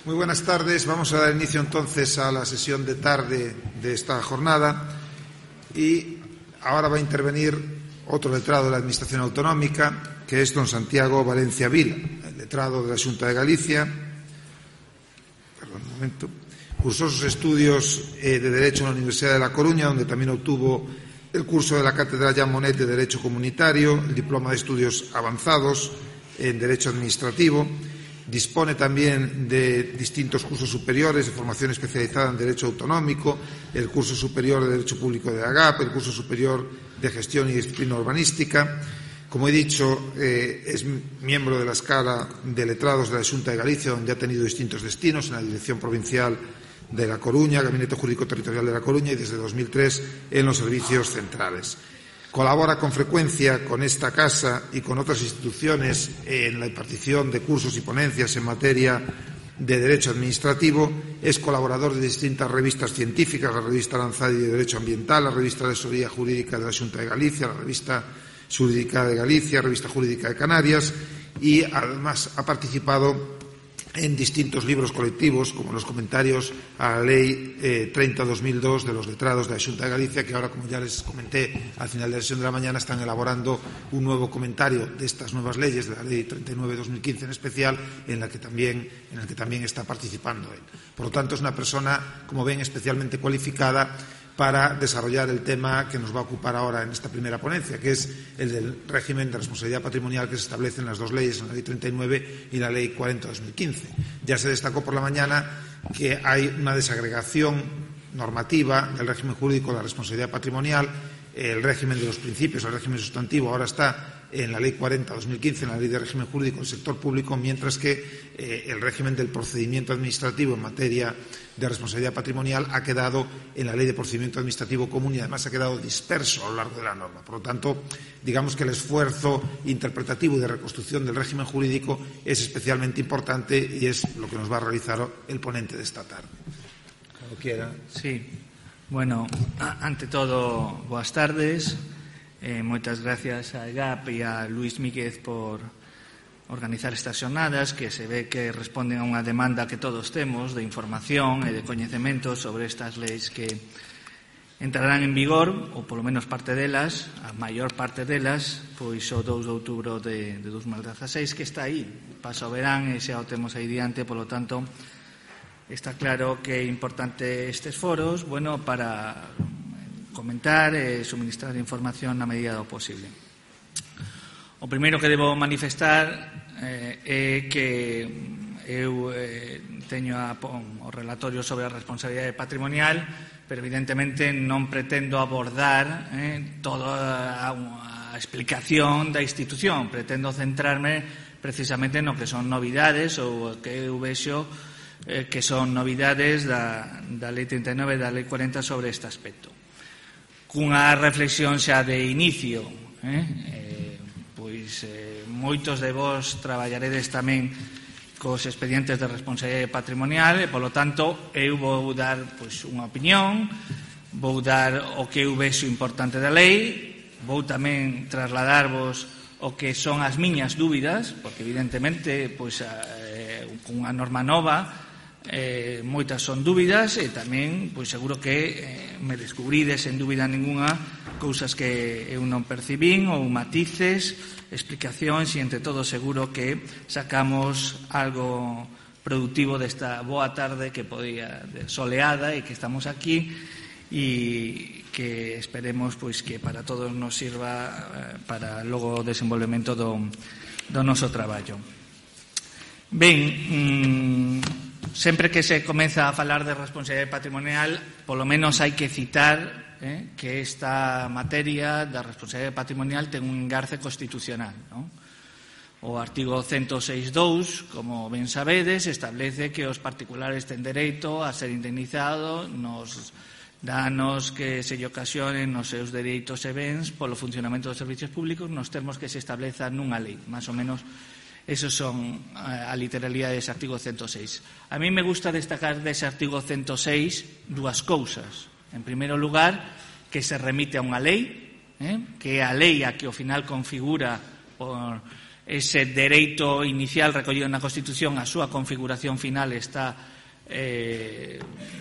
Muy buenas tardes. Vamos a dar inicio entonces a la sesión de tarde de esta jornada y ahora va a intervenir otro letrado de la Administración Autonómica, que es don Santiago Valencia Vila, el letrado de la Xunta de Galicia. Cursó sus estudios de Derecho en la Universidad de La Coruña, donde también obtuvo el curso de la Cátedra Jean Monnet de Derecho Comunitario, el diploma de Estudios Avanzados en Derecho Administrativo. Dispone también de distintos cursos superiores de formación especializada en Derecho Autonómico, el curso superior de Derecho Público de AGAP, el curso superior de Gestión y Disciplina Urbanística. Como he dicho, es miembro de la Escala de Letrados de la Xunta de Galicia, donde ha tenido distintos destinos en la Dirección Provincial de La Coruña, Gabinete Jurídico Territorial de La Coruña y desde 2003 en los servicios centrales. Colabora con frecuencia con esta casa y con otras instituciones en la impartición de cursos y ponencias en materia de Derecho Administrativo. Es colaborador de distintas revistas científicas, la revista Aranzadi de Derecho Ambiental, la revista de Asesoría Jurídica de la Xunta de Galicia, la revista Jurídica de Galicia, revista Jurídica de Canarias, y además ha participado en distintos libros colectivos, como los comentarios a la Ley 30/2002 de los letrados de la Xunta de Galicia, que ahora, como ya les comenté al final de la sesión de la mañana, están elaborando un nuevo comentario de estas nuevas leyes, de la Ley 39/2015 en especial, en el que también está participando él. Por lo tanto, es una persona, como ven, especialmente cualificada para desarrollar el tema que nos va a ocupar ahora en esta primera ponencia, que es el del régimen de responsabilidad patrimonial que se establece en las dos leyes, en la Ley 39 y la Ley 40/2015. Ya se destacó por la mañana que hay una desagregación normativa del régimen jurídico de la responsabilidad patrimonial. El régimen de los principios, el régimen sustantivo, ahora está en la Ley 40/2015, en la Ley de Régimen Jurídico del Sector Público, mientras que el régimen del procedimiento administrativo en materia de responsabilidad patrimonial ha quedado en la Ley de Procedimiento Administrativo Común y además ha quedado disperso a lo largo de la norma. Por lo tanto, digamos que el esfuerzo interpretativo y de reconstrucción del régimen jurídico es especialmente importante y es lo que nos va a realizar el ponente de esta tarde. Cuando quiera. Sí. Bueno, ante todo, boas tardes. Moitas gracias a EGAP e a Luís Míguez por organizar estas xornadas, que se ve que responden a unha demanda que todos temos de información e de coñecemento sobre estas leis que entrarán en vigor, ou polo menos parte delas, a maior parte delas, pois o 2 de outubro de 2016, que está aí, pasa o verán e xa o temos aí diante, polo tanto, está claro que é importante estes foros, bueno, para comentar e suministrar información na medida do posible. O primeiro que debo manifestar é que eu teño o relatorio sobre a responsabilidade patrimonial, pero evidentemente non pretendo abordar toda a explicación da institución. Pretendo centrarme precisamente no que son novidades ou que eu vexo que son novidades da Lei 39 e da Lei 40 sobre este aspecto. Cunha reflexión xa de inicio, pois moitos de vos traballaredes tamén cos expedientes de responsabilidade patrimonial e, polo tanto, eu vou dar pois unha opinión, vou dar o que eu vexo importante da lei, vou tamén trasladarvos o que son as miñas dúbidas, porque evidentemente pois cunha norma nova moitas son dúbidas e tamén pois seguro que me descubrides sen dúbida ninguna cousas que eu non percibín ou matices, explicacións e entre todos seguro que sacamos algo productivo desta boa tarde que podía soleada e que estamos aquí e que esperemos pois que para todos nos sirva para logo o desenvolvemento do noso traballo. Ben, sempre que se comeza a falar de responsabilidade patrimonial, polo menos hai que citar que esta materia da responsabilidade patrimonial ten un engarce constitucional, non? O artigo 106.2, como ben sabedes, establece que os particulares ten dereito a ser indemnizados nos danos que se lle ocasionen nos seus dereitos e bens polo funcionamento dos servicios públicos nos termos que se establezan nunha lei. Más ou menos, esos son a literalidade dese artigo 106. A mí me gusta destacar dese artigo 106 dúas cousas. En primeiro lugar, que se remite a unha lei, que é a lei a que ao final configura por ese dereito inicial recollido na Constitución, a súa configuración final está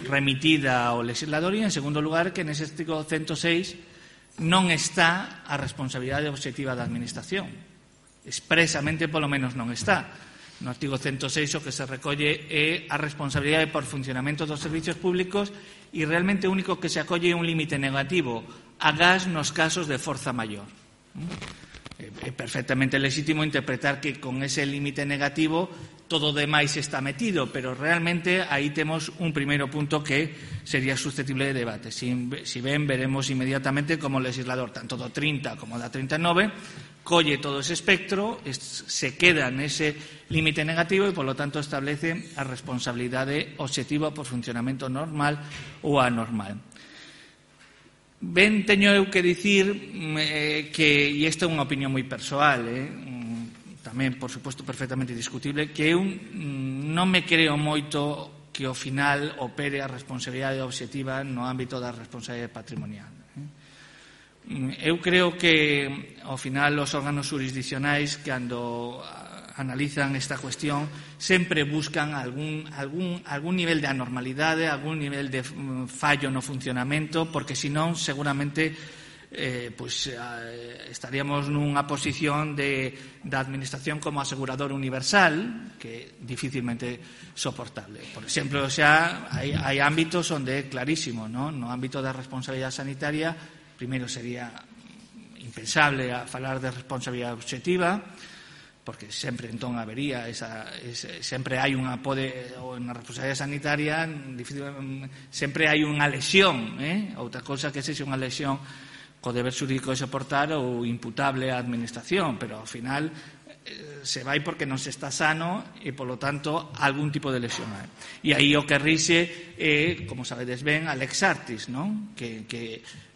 remitida ao legislador, e en segundo lugar que nese artigo 106 non está a responsabilidade obxectiva da Administración, expresamente polo menos non está. No artigo 106 o que se recolle é a responsabilidade por funcionamento dos servicios públicos, e realmente o único que se acolle é un límite negativo a gas nos casos de forza maior. É perfectamente legítimo interpretar que con ese límite negativo todo o demais está metido, pero realmente aí temos un primeiro punto que sería susceptible de debate. Si ben, veremos inmediatamente como o legislador, tanto do 30 como da 39, colle todo ese espectro, se queda nese límite negativo e, polo tanto, establece a responsabilidade obxectiva por funcionamento normal ou anormal. Ben, teño eu que dicir que, e esta é unha opinión moi persoal, tamén, por suposto, perfectamente discutible, que eu non me creo moito que ao final opere a responsabilidade obxectiva no ámbito da responsabilidade patrimonial. Eu creo que, ao final, os órganos jurisdiccionais, cando analizan esta cuestión, sempre buscan algún nivel de anormalidade, algún nivel de fallo no funcionamento, porque senón seguramente estaríamos nunha posición da Administración como asegurador universal, que é dificilmente soportable. Por exemplo, xa hai ámbitos onde é clarísimo, ¿no? No ámbito da responsabilidade sanitaria, primeiro sería impensable falar de responsabilidade obxectiva, porque sempre entón habería sempre hai unha na responsabilidade sanitaria sempre hai unha lesión, outra cousa que sexa unha lesión co deber xurídico de soportar ou imputable á administración, pero ao final se vai porque non se está sano e, polo tanto, algún tipo de lesión hai. E aí o que rixe é, como sabedes ben, a lex artis, non? Que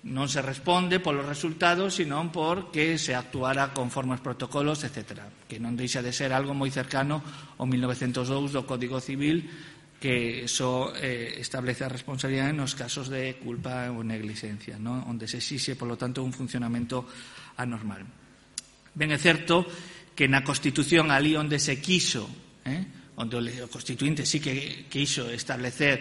non se responde polos resultados, senón porque se actuara conforme aos protocolos, etc. Que non deixa de ser algo moi cercano ao 1902 do Código Civil, que só establece a responsabilidade nos casos de culpa ou negligencia, non? Onde se exixe, polo tanto, un funcionamento anormal. Ben, é certo que na Constitución, ali onde se quiso, onde o Constituinte sí que quiso establecer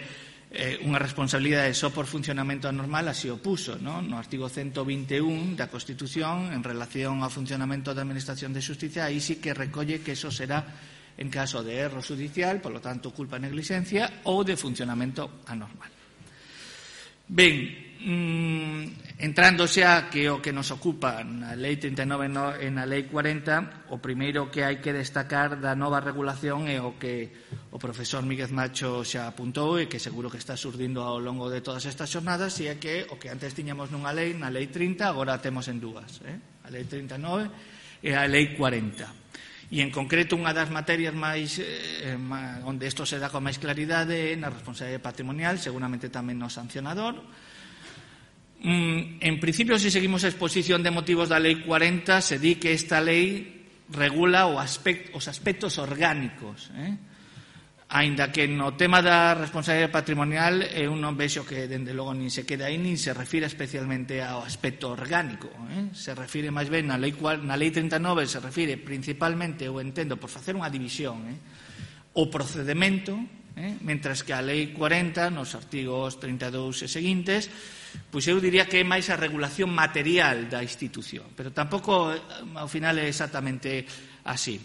unha responsabilidade só por funcionamento anormal, así o puso, no artigo 121 da Constitución, en relación ao funcionamento da Administración de Xusticia, aí sí que recolle que eso será en caso de erro judicial, polo tanto, culpa e negligencia, ou de funcionamento anormal. Ben, entrando xa que o que nos ocupa na Lei 39 e na Lei 40, o primeiro que hai que destacar da nova regulación é o que o profesor Míguez Macho xa apuntou e que seguro que está surdindo ao longo de todas estas xornadas, e é que o que antes tiñamos nunha lei, na Lei 30, agora temos en dúas, a Lei 39 e a Lei 40. E, en concreto, unha das materias máis onde isto se dá con máis claridade é na responsabilidade patrimonial, seguramente tamén no sancionador. En principio, se seguimos a exposición de motivos da Lei 40, se di que esta lei regula os aspectos orgánicos, aínda que no tema da responsabilidade patrimonial eu non vexo que, dende logo, nin se queda aí, nin se refira especialmente ao aspecto orgánico. Se refire máis ben na Lei 39, se refire principalmente, eu entendo, por facer unha división, o procedimento, mentras que a Lei 40, nos artigos 32 e seguintes, pois eu diría que é máis a regulación material da institución, pero tampouco ao final é exactamente así.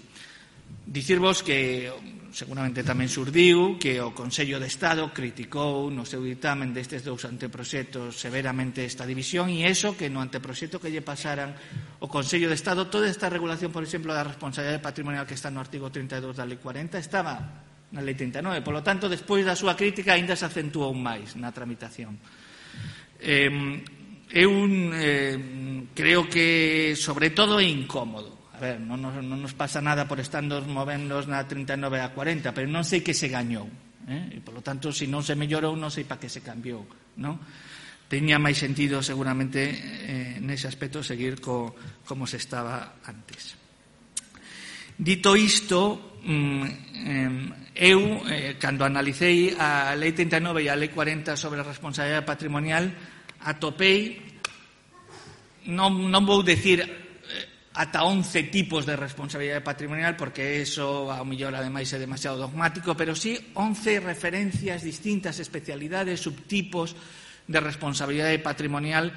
Dicirvos que seguramente tamén surdiu que o Consello de Estado criticou no seu ditamen destes dous anteproxectos severamente esta división, e iso que no anteproxecto que lle pasaran o Consello de Estado, toda esta regulación, por exemplo, da responsabilidade patrimonial que está no artigo 32 da Lei 40 estaba na Lei 39, polo tanto, despois da súa crítica aínda se acentuou máis na tramitación. Eu creo que, sobre todo, é incómodo. A ver, non nos pasa nada por estarnos movernos na 39 a 40, pero non sei que se gañou. E, polo tanto, se non se mellorou, non sei para que se cambiou, non? Teña máis sentido, seguramente, nese aspecto, seguir como se estaba antes. Dito isto, eu, cando analicei a Lei 39 e a Lei 40 sobre a responsabilidade patrimonial, atopei, non vou decir ata 11 tipos de responsabilidade patrimonial, porque eso, ao mellor, ademais, é demasiado dogmático, pero sí 11 referencias distintas, especialidades, subtipos de responsabilidade patrimonial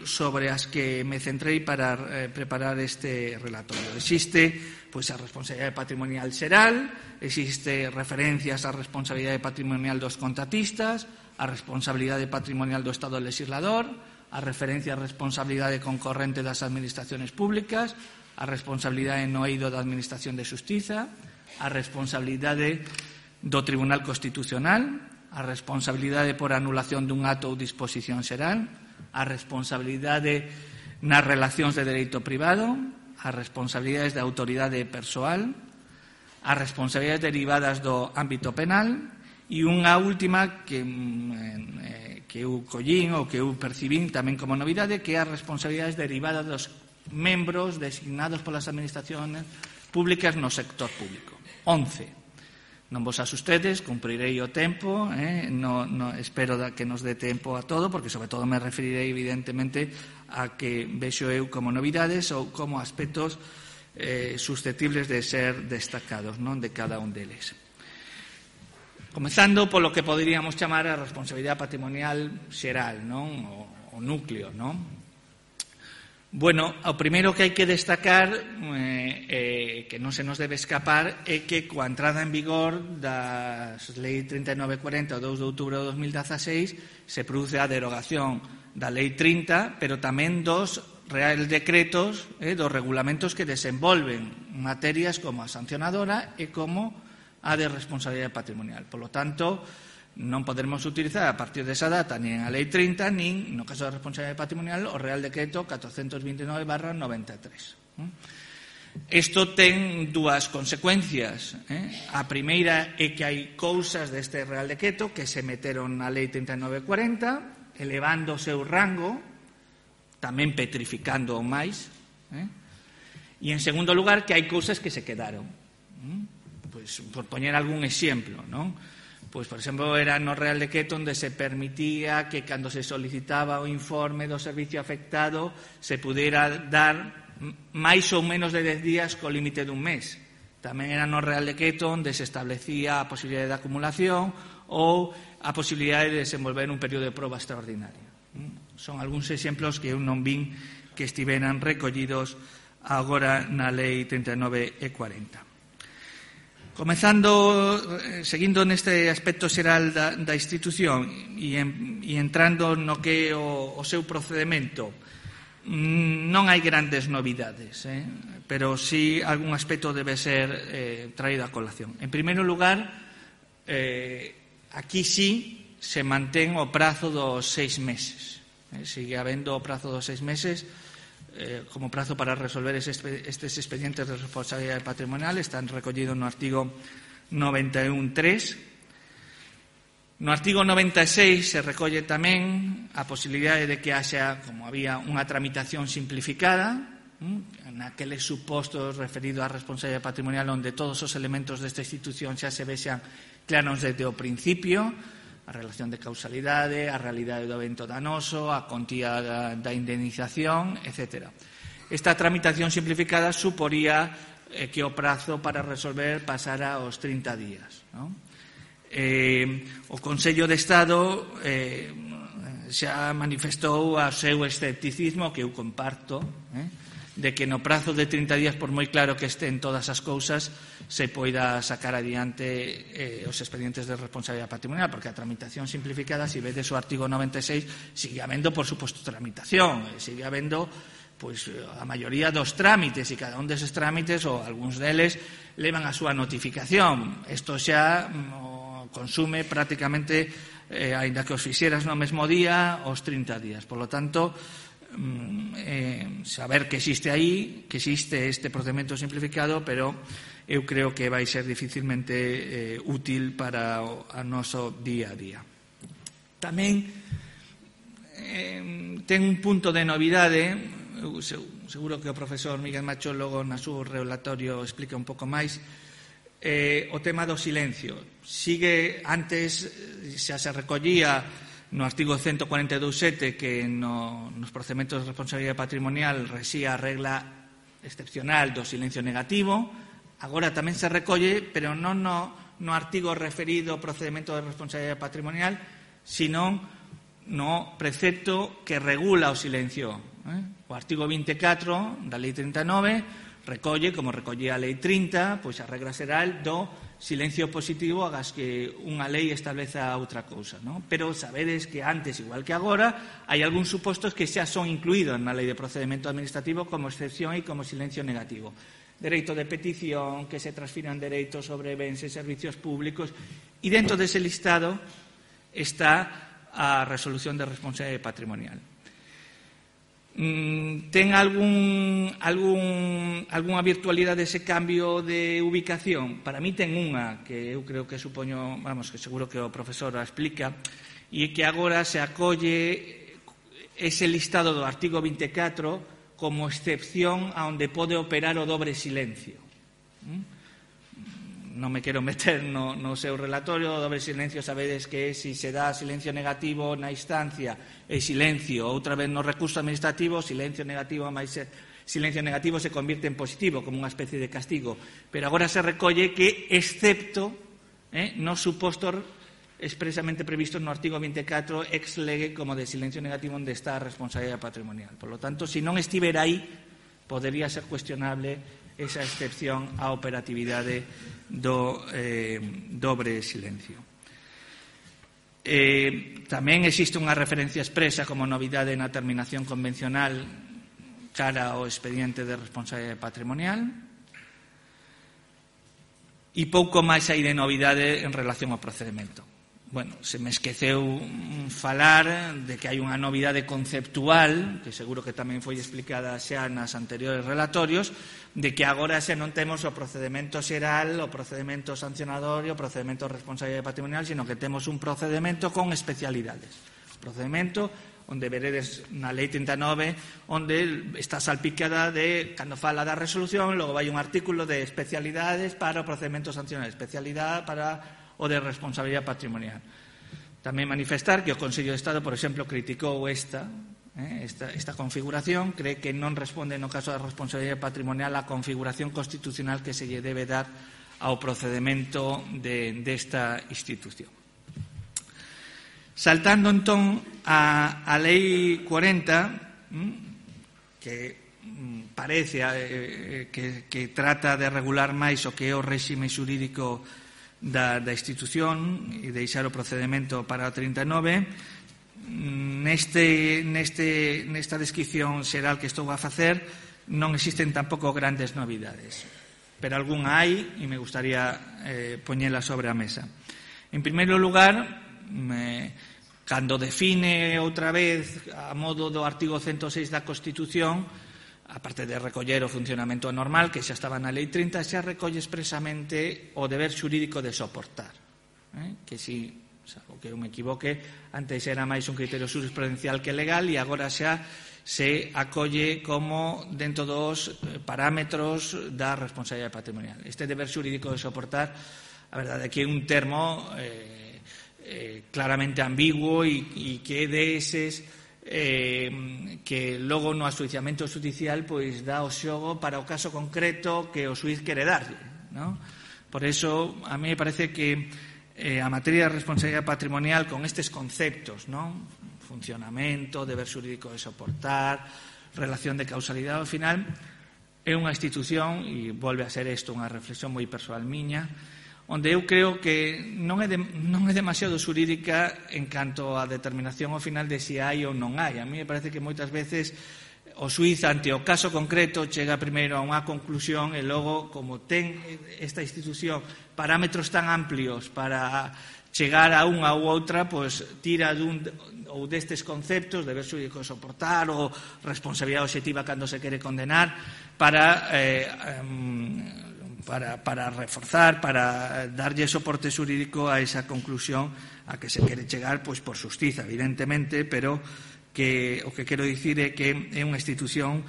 sobre as que me centrei para preparar este relatorio. Existe a responsabilidade patrimonial xeral, existe referencias á responsabilidade patrimonial dos contratistas, a responsabilidade patrimonial do Estado legislador, a referencia á responsabilidade concorrente das administraciones públicas, a responsabilidade no eido da Administración de Xustiza, a responsabilidade do Tribunal Constitucional, a responsabilidade por anulación dun acto ou disposición xeral, a responsabilidade nas relacións de dereito privado, as responsabilidades da autoridade persoal, as responsabilidades derivadas do ámbito penal e unha última que eu collín ou que eu percibín tamén como novidade, que é as responsabilidades derivadas dos membros designados polas administracións públicas no sector público. 11. Non vos asustedes, cumprirei o tempo, espero que nos dé tempo a todo, porque sobre todo me referirei evidentemente a que vexo eu como novidades ou como aspectos susceptibles de ser destacados, non, de cada un deles. Comezando polo que poderíamos chamar a responsabilidade patrimonial xeral, non, o núcleo, non? Bueno, o primeiro que hai que destacar, que non se nos debe escapar, é que coa entrada en vigor das Lei 3940 o 2 de outubro de 2016 se produce a derogación da Lei 30, pero tamén dos reales decretos, dos regulamentos que desenvolven materias como a sancionadora e como a de responsabilidade patrimonial. Por lo tanto, non poderemos utilizar a partir desa data nin a Lei 30, nin, no caso da responsabilidade patrimonial, o Real Decreto 429/93. Isto ten dúas consecuencias. A primeira é que hai cousas deste Real Decreto que se meteron na Lei 3940, elevando o seu rango, tamén petrificando o máis. E, en segundo lugar, que hai cousas que se quedaron. Pois, por poñer algún exemplo, non? Pois, por exemplo, era no Real Decreto onde se permitía que cando se solicitaba o informe do servicio afectado se pudera dar máis ou menos de 10 días co límite dun mes. Tamén era no Real Decreto onde se establecía a posibilidade de acumulación ou a posibilidade de desenvolver un período de proba extraordinaria. Son algúns exemplos que eu non vin que estiveran recollidos agora na Lei 39 e 40. Comezando, seguindo neste aspecto xeral da institución e entrando no que é o seu procedimento, non hai grandes novidades, pero sí algún aspecto debe ser traído a colación. En primeiro lugar, aquí sí se mantén o prazo dos 6 meses. Sigue habendo o prazo dos 6 meses como prazo para resolver estes expedientes de responsabilidade patrimonial. Están recollidos no artigo 91.3. No artigo 96 se recolle tamén a posibilidade de que haxa, como había, unha tramitación simplificada, naqueles supostos referidos á responsabilidade patrimonial onde todos os elementos desta institución xa se vexan claros desde o principio, a relación de causalidade, a realidade do evento danoso, a contía da indemnización, etc. Esta tramitación simplificada suporía que o prazo para resolver pasara aos 30 días. Non? O Consello de Estado xa manifestou o seu escepticismo, que eu comparto, de que no prazo de 30 días, por moi claro que estén todas as cousas, se poida sacar adiante os expedientes de responsabilidade patrimonial, porque a tramitación simplificada, se vedes o artigo 96, sigue habendo, por suposto, tramitación, sigue habendo a maioría dos trámites, e cada un deses trámites, ou algúns deles, levan a súa notificación. Isto xa consume prácticamente, aínda que os fixeras no mesmo día, os 30 días. Por lo tanto, saber que existe aí, que existe este procedimento simplificado, pero eu creo que vai ser dificilmente útil para o noso día a día. Tamén ten un punto de novidade, seguro que o profesor Miguel Macho logo na súa relatorio explica un pouco máis, o tema do silencio. Sigue, antes xa se recollía no artigo 142.7 que nos procedementos de responsabilidade patrimonial rexía a regla excepcional do silencio negativo, agora tamén se recolle, pero non no artigo referido ao procedimento de responsabilidade patrimonial, sino no precepto que regula o silencio. O artigo 24 da Lei 39 recolle, como recollía a Lei 30, pois a regra xeral do silencio positivo agas que unha lei estableza outra cousa, non? Pero sabedes que antes, igual que agora, hai algúns supostos que xa son incluídos na Lei de Procedimento Administrativo como excepción e como silencio negativo. Dereito de petición, que se transfiran dereitos sobre bens e servicios públicos, e dentro dese listado está a resolución de responsabilidade patrimonial. Ten algunha virtualidade ese cambio de ubicación? Para mí ten unha, que eu creo que supoño, que seguro que o profesor a explica, e que agora se acolle ese listado do artigo 24 como excepción a onde pode operar o dobre silencio. Non me quero meter no seu relatorio. O dobre silencio sabedes que se dá silencio negativo na instancia e silencio outra vez no recurso administrativo, silencio negativo máis silencio negativo se convierte en positivo como unha especie de castigo, pero agora se recolle que excepto nos supostos expresamente previstos no artigo 24 ex lege como de silencio negativo onde está a responsabilidade patrimonial. Por lo tanto, se non estivera aí, podería ser cuestionable esa excepción á operatividade do dobre silencio. Tamén existe unha referencia expresa como novidade na terminación convencional cara ao expediente de responsabilidade patrimonial e pouco máis hai de novidade en relación ao procedimento. Bueno, se me esqueceu falar de que hai unha novidade conceptual, que seguro que tamén foi explicada xa nas anteriores relatorios, de que agora xa non temos o procedimento xeral, o procedimento sancionador e o procedimento de responsabilidade patrimonial, sino que temos un procedimento con especialidades. Procedimento onde veredes na Lei 39, onde está salpicada de, cando fala da resolución, logo vai un artículo de especialidades para o procedimento sancionador, especialidade para o de responsabilidade patrimonial. Tamén manifestar que o Consello de Estado, por exemplo, criticou esta configuración, cree que non responde no caso da responsabilidade patrimonial a configuración constitucional que se lle debe dar ao procedimento desta institución. Saltando entón a Lei 40, que parece que trata de regular máis o que é o réxime xurídico da institución e deixar o procedimento para o 39, nesta descripción xeral que estou a facer non existen tampouco grandes novidades, pero algunha hai e me gustaría poñela sobre a mesa. En primeiro lugar, cando define outra vez a modo do artigo 106 da Constitución, aparte de recoller o funcionamento normal, que xa estaba na Lei 30, xa recolle expresamente o deber xurídico de soportar. Que si, salvo que eu me equivoque, antes era máis un criterio jurisprudencial que legal e agora xa se acolle como dentro dos parámetros da responsabilidade patrimonial. Este deber xurídico de soportar, a verdade é que é un termo claramente ambiguo e que é deses que logo no asuiciamento judicial pois dá o xogo para o caso concreto que o xuíz quere darlle, non? Por eso, a mí me parece que a materia de responsabilidade patrimonial con estes conceptos, non? Funcionamento, deber xurídico de soportar, relación de causalidade, ao final é unha institución, e volve a ser isto unha reflexión moi persoal miña, onde eu creo que non é demasiado xurídica en canto á determinación ao final de se hai ou non hai. A mí me parece que moitas veces o xuíz ante o caso concreto chega primeiro a unha conclusión e logo, como ten esta institución parámetros tan amplios para chegar a unha ou outra, pois tira dun ou destes conceptos, deber xurídico de soportar ou responsabilidade obxectiva cando se quere condenar, para reforzar, para darlle soporte xurídico a esa conclusión a que se quere chegar, pois por xustiza, evidentemente, pero que o que quero dicir é que é unha institución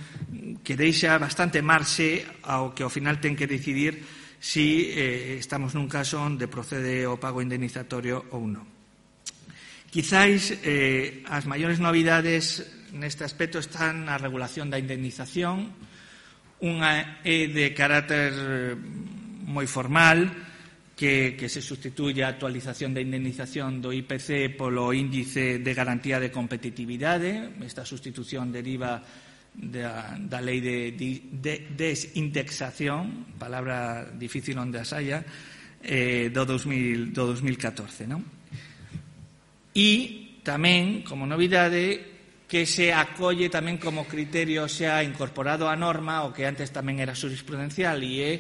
que deixa bastante marxe ao que ao final ten que decidir si estamos nun caso onde procede o pago indemnizatorio ou non. Quizáis as maiores novidades neste aspecto están na regulación da indemnización, Unha é de carácter moi formal, que se substituye a actualización da indemnización do IPC polo índice de garantía de competitividade. Esta sustitución deriva da lei de desindexación, palabra difícil onde as haya, do 2014, non? E tamén, como novidade, que se acolle tamén como criterio xa incorporado á norma, o que antes tamén era jurisprudencial, e é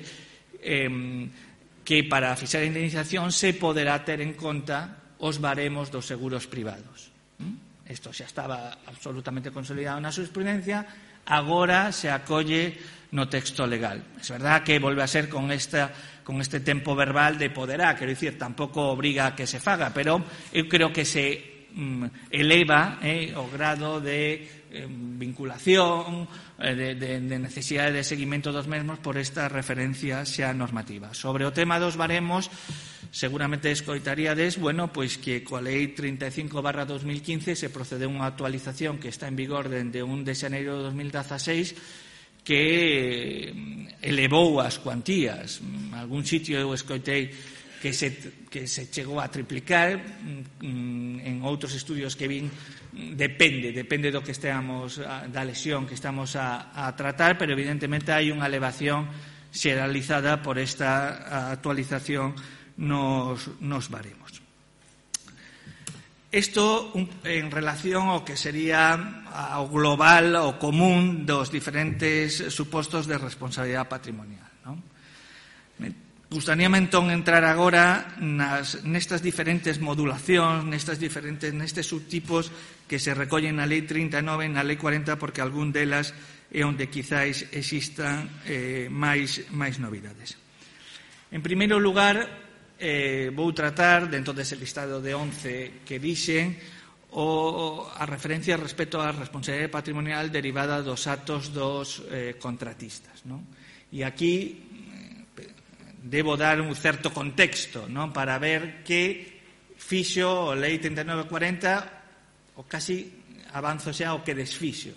que para fixar a indemnización se poderá ter en conta os baremos dos seguros privados. Isto xa estaba absolutamente consolidado na jurisprudencia, agora se acolle no texto legal. É verdad que volve a ser con este tempo verbal de poderá, quero dicir, tampouco obriga a que se faga, pero eu creo que se eleva o grado de vinculación, de necesidade de seguimento dos mesmos por esta referencia xa normativa. Sobre o tema dos baremos, seguramente escoitaríades, pois que coa lei 35/2015 se procedeu unha actualización que está en vigor dende 1 de xaneiro de 2016 que elevou as cuantías. En algún sitio eu escoitei que se chegou a triplicar, en outros estudios que vin depende do que esteamos, da lesión que estamos a tratar, pero evidentemente hai unha elevación xeralizada por esta actualización nos baremos. Isto en relación ao que sería ao global, ao común dos diferentes supostos de responsabilidade patrimonial, non? Gustaríame entón entrar agora nestas diferentes modulacións, nestes subtipos que se recollen na Lei 39 e na Lei 40, porque algún delas é onde quizáis existan máis novidades. En primeiro lugar, vou tratar, dentro dese listado de 11 que dixen, a referencia respecto á responsabilidade patrimonial derivada dos actos dos contratistas, non? E aquí debo dar un certo contexto, non, para ver que fixo a Lei 39/40 o casi avanzo xa o que desfixo.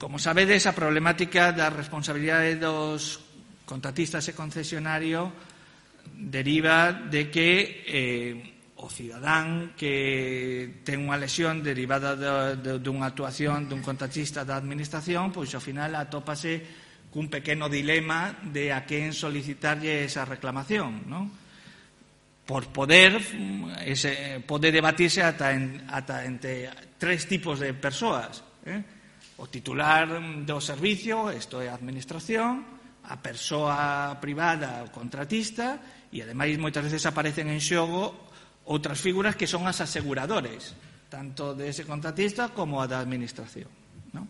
Como sabedes, a problemática da responsabilidade dos contratistas e concesionario deriva de que o cidadán que ten unha lesión derivada dunha actuación dun contratista da administración, pois ao final atópase cun pequeno dilema de a quen solicitarlle esa reclamación, non? Por pode debatirse ata entre tres tipos de persoas, o titular do servicio, isto é a administración, a persoa privada, o contratista, e ademais moitas veces aparecen en xogo outras figuras que son as aseguradores, tanto de ese contratista como a da administración, non?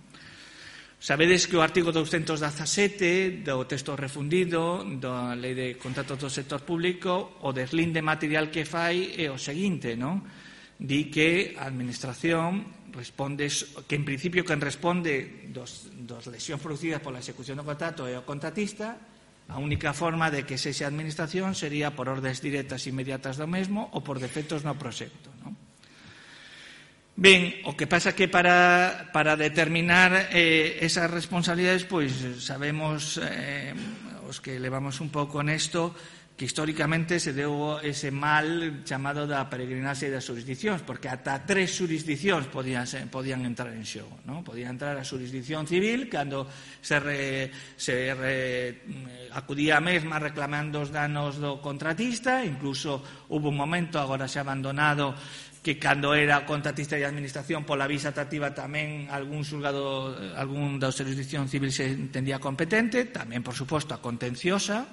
Sabedes que o artigo 217 do texto refundido da Lei de Contratos do Sector Público, o deslinde material que fai é o seguinte, non? Di que a administración responde, que en principio quen responde dos lesións producidas pola execución do contrato é o contratista. A única forma de que sexa a administración sería por ordes directas inmediatas do mesmo ou por defectos no proxecto, non? Ben, o que pasa que para determinar esas responsabilidades, pois sabemos, os que levamos un pouco nesto, que históricamente se deu ese mal chamado da peregrinaxe das xurisdiccións, porque ata 3 xurisdiccións podían entrar en xogo, non? Podía entrar a xurisdicción civil cando se acudía a mesma reclamando os danos do contratista, incluso hubo un momento, agora xa abandonado, que cando era contratista de administración pola visa tractiva tamén algún xulgado, algún da xurisdicción civil se entendía competente, tamén, por suposto, a contenciosa,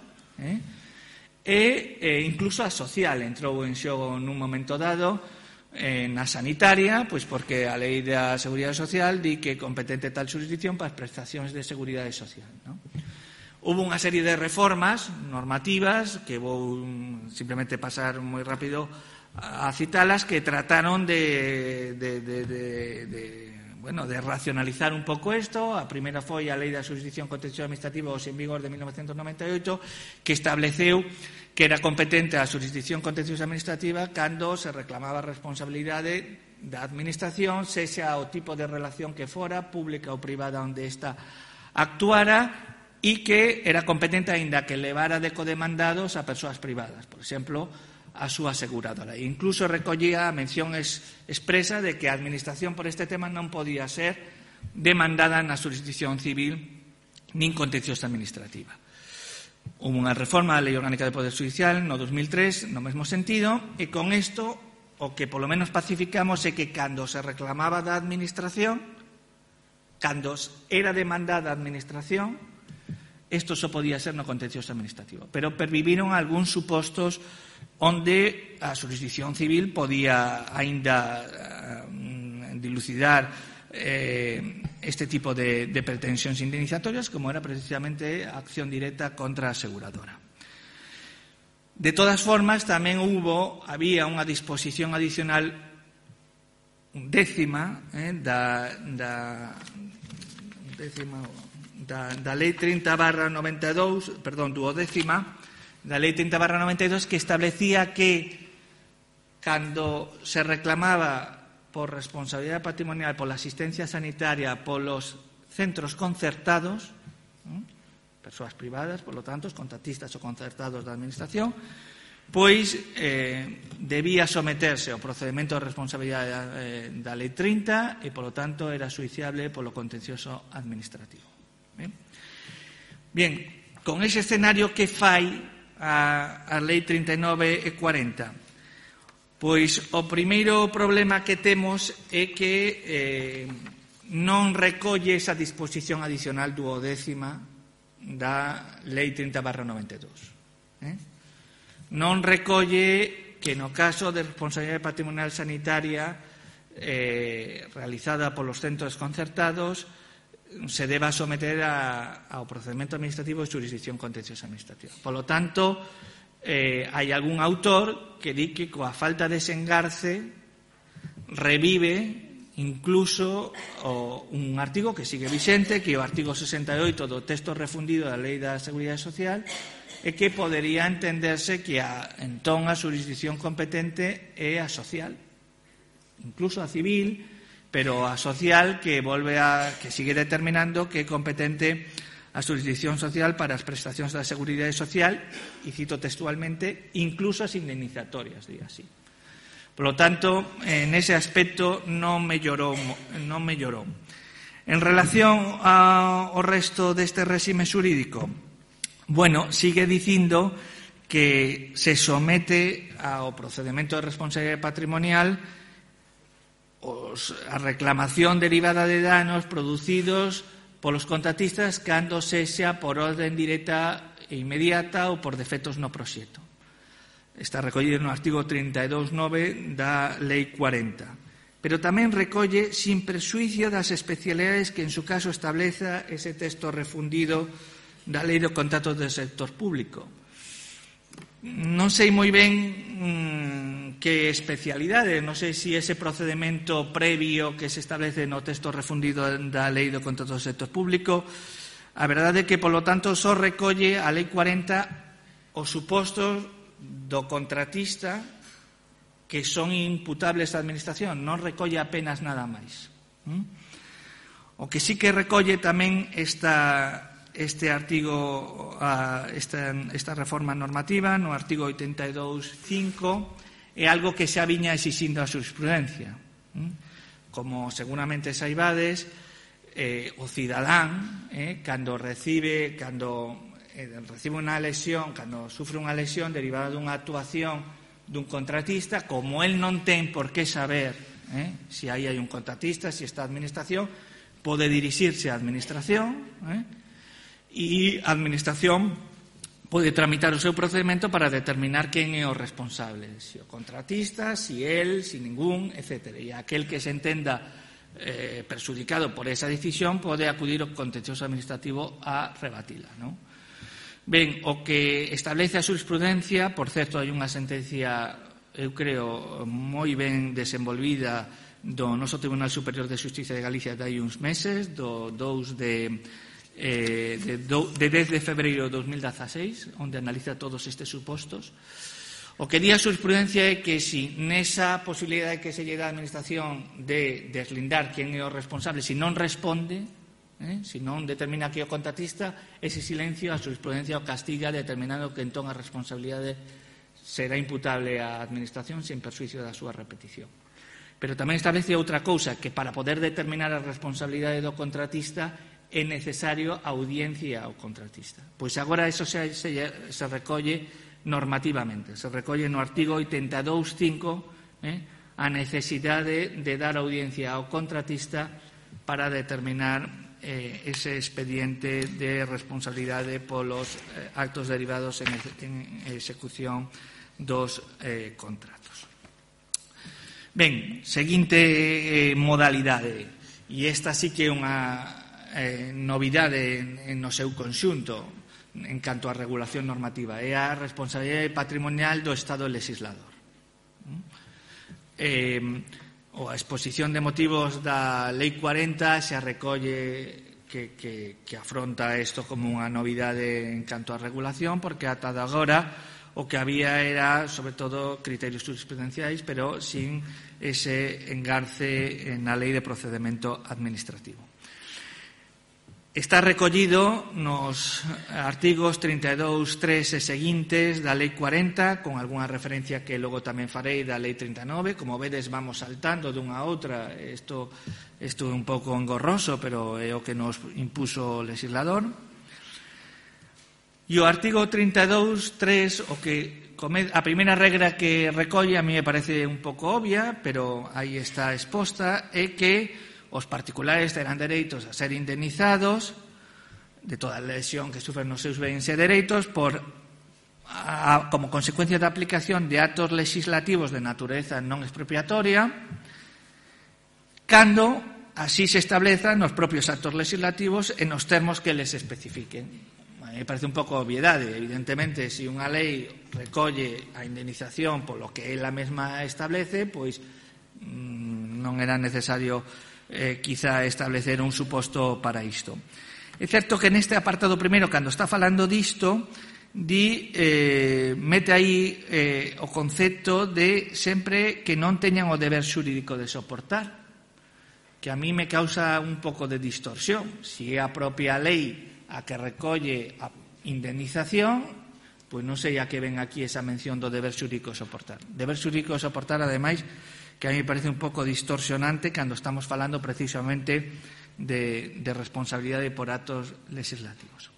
e incluso a social entrou en xogo nun momento dado, na sanitaria, pois porque a Lei da Seguridade Social di que é competente tal xurisdicción para as prestacións de seguridade social, non? Hubo unha serie de reformas normativas que vou simplemente pasar moi rápido a citalas, que trataron de racionalizar un pouco isto. A primeira foi a Lei da Xurisdicción Contenciosa Administrativa, en vigor de 1998, que estableceu que era competente a xurisdicción contenciosa administrativa cando se reclamaba responsabilidade da administración, sexa o tipo de relación que fora, pública ou privada, onde esta actuara, e que era competente aínda que levara de codemandados a persoas privadas, por exemplo, a súa aseguradora. E incluso recollía a mención expresa de que a administración por este tema non podía ser demandada na xurisdicción civil nin contenciosa administrativa. Hubo unha reforma da Lei Orgánica de Poder Xudicial no 2003 no mesmo sentido, e con isto o que polo menos pacificamos é que cando se reclamaba da administración, cando era demandada a administración, isto só podía ser no contencioso administrativo. Pero perviviron algúns supostos onde a xurisdicción civil podía aínda dilucidar este tipo de pretensións indemnizatorias, como era precisamente a acción directa contra a aseguradora. De todas formas, tamén había unha disposición adicional décima da Lei 30/92, duodécima, da Lei 30/92, que establecía que cando se reclamaba por responsabilidade patrimonial, pola asistencia sanitaria, polos centros concertados, persoas privadas, por lo tanto, os contratistas ou concertados da administración, pois debía someterse ao procedimento de responsabilidade da Lei 30 e, por lo tanto, era xuiciable polo contencioso administrativo. Bien, con ese escenario, que fai a Lei 39 e 40? Pois o primeiro problema que temos é que non recolle esa disposición adicional duodécima da Lei 30/92. Non recolle que no caso de responsabilidade patrimonial sanitaria realizada polos centros concertados se deba someter ao procedimento administrativo de xurisdicción contenciosa administrativa. Por lo tanto, hai algún autor que di que coa falta de desengarce revive incluso un artigo que sigue vixente, que é o artigo 68 do texto refundido da Lei da Seguridade Social, e que podería entenderse que entón a xurisdicción competente é a social, incluso a civil, pero a social que sigue determinando que é competente a xurisdicción social para as prestacións da Seguridade Social, e cito textualmente, incluso as indemnizatorias, di así. Por lo tanto, en ese aspecto non mellorou. En relación ao resto deste réxime xurídico, sigue dicindo que se somete ao procedimento de responsabilidade patrimonial a reclamación derivada de danos producidos polos contratistas cando sexa por orden directa e inmediata ou por defectos no proxecto. Está recollido no artigo 32.9 da Lei 40. Pero tamén recolle sin prexuicio das especialidades que en su caso estableza ese texto refundido da Lei do Contrato do Sector Público. Non sei moi ben que especialidade, non sei se ese procedimento previo que se establece no texto refundido da Lei do Contrato do Sector Público. A verdade é que, polo tanto, só recolle a Lei 40 os supostos do contratista que son imputables á administración, non recolle apenas nada máis. O que sí que recolle tamén este artigo, esta reforma normativa, no artigo 82.5, é algo que xa viña exixindo a xurisprudencia. Como seguramente saibades, o cidadán, cando recibe unha lesión, cando sufre unha lesión derivada dunha actuación dun contratista, como el non ten por que saber se aí hai un contratista, se está a administración, pode dirixirse á administración, e a administración pode tramitar o seu procedimento para determinar quen é o responsable, se o contratista, se el, se ningún, etc. E aquel que se entenda perxudicado por esa decisión pode acudir ao contencioso administrativo a rebatila, non? Ben, o que establece a xurisprudencia, por certo, hai unha sentencia, eu creo, moi ben desenvolvida do noso Tribunal Superior de Xustiza de Galicia de hai uns meses, do 2 de 10 de febreiro de 2016, onde analiza todos estes supostos, O que di a xurisprudencia é que si nesa posibilidade que se lle dá a administración de deslindar quen é o responsable, se non responde, se non determina que é o contratista, ese silencio a xurisprudencia o castiga determinando que entón a responsabilidade será imputable á administración sen perxuízo da súa repetición. Pero tamén establece outra cousa, que para poder determinar a responsabilidade do contratista é necesario a audiencia ao contratista. Pois agora eso se recolle normativamente. Se recolle no artigo 82.5 a necesidade de dar audiencia ao contratista para determinar ese expediente de responsabilidade polos actos derivados en execución dos contratos. Ben, seguinte modalidade, e esta sí que é unha novidade no seu conxunto en canto á regulación normativa, é a responsabilidade patrimonial do Estado legislador. A exposición de motivos da Lei 40 se recolle que afronta isto como unha novidade en canto á regulación, porque ata de agora o que había era, sobre todo, criterios jurisprudenciais, pero sin ese engarce na Lei de Procedemento Administrativo. Está recollido nos artigos 32, 3 e seguintes da Lei 40, con algunha referencia que logo tamén farei da Lei 39. Como vedes, vamos saltando dunha a outra. Isto é un pouco engorroso, pero é o que nos impuso o legislador. E o artigo 32, 3, a primeira regra que recolle, a mí me parece un pouco obvia, pero aí está exposta, é que os particulares terán dereitos a ser indemnizados de toda a lesión que sufren nos seus bens e dereitos como consecuencia da aplicación de actos legislativos de natureza non expropiatoria cando así se establezan nos propios actos legislativos e nos termos que les especifiquen. Me parece un pouco obviedade. Evidentemente, se unha lei recolle a indemnización polo que ela mesma establece, pois non era necesario quizá establecer un suposto para isto. É certo que neste apartado primeiro, cando está falando disto, mete aí o concepto de sempre que non teñan o deber xurídico de soportar, que a mí me causa un pouco de distorsión. Si é a propia lei a que recolle a indemnización, pois non sei a que ven aquí esa mención do deber xurídico de soportar. Deber xurídico de soportar, ademais, que a mí me parece un pouco distorsionante cando estamos falando precisamente de responsabilidade por actos legislativos.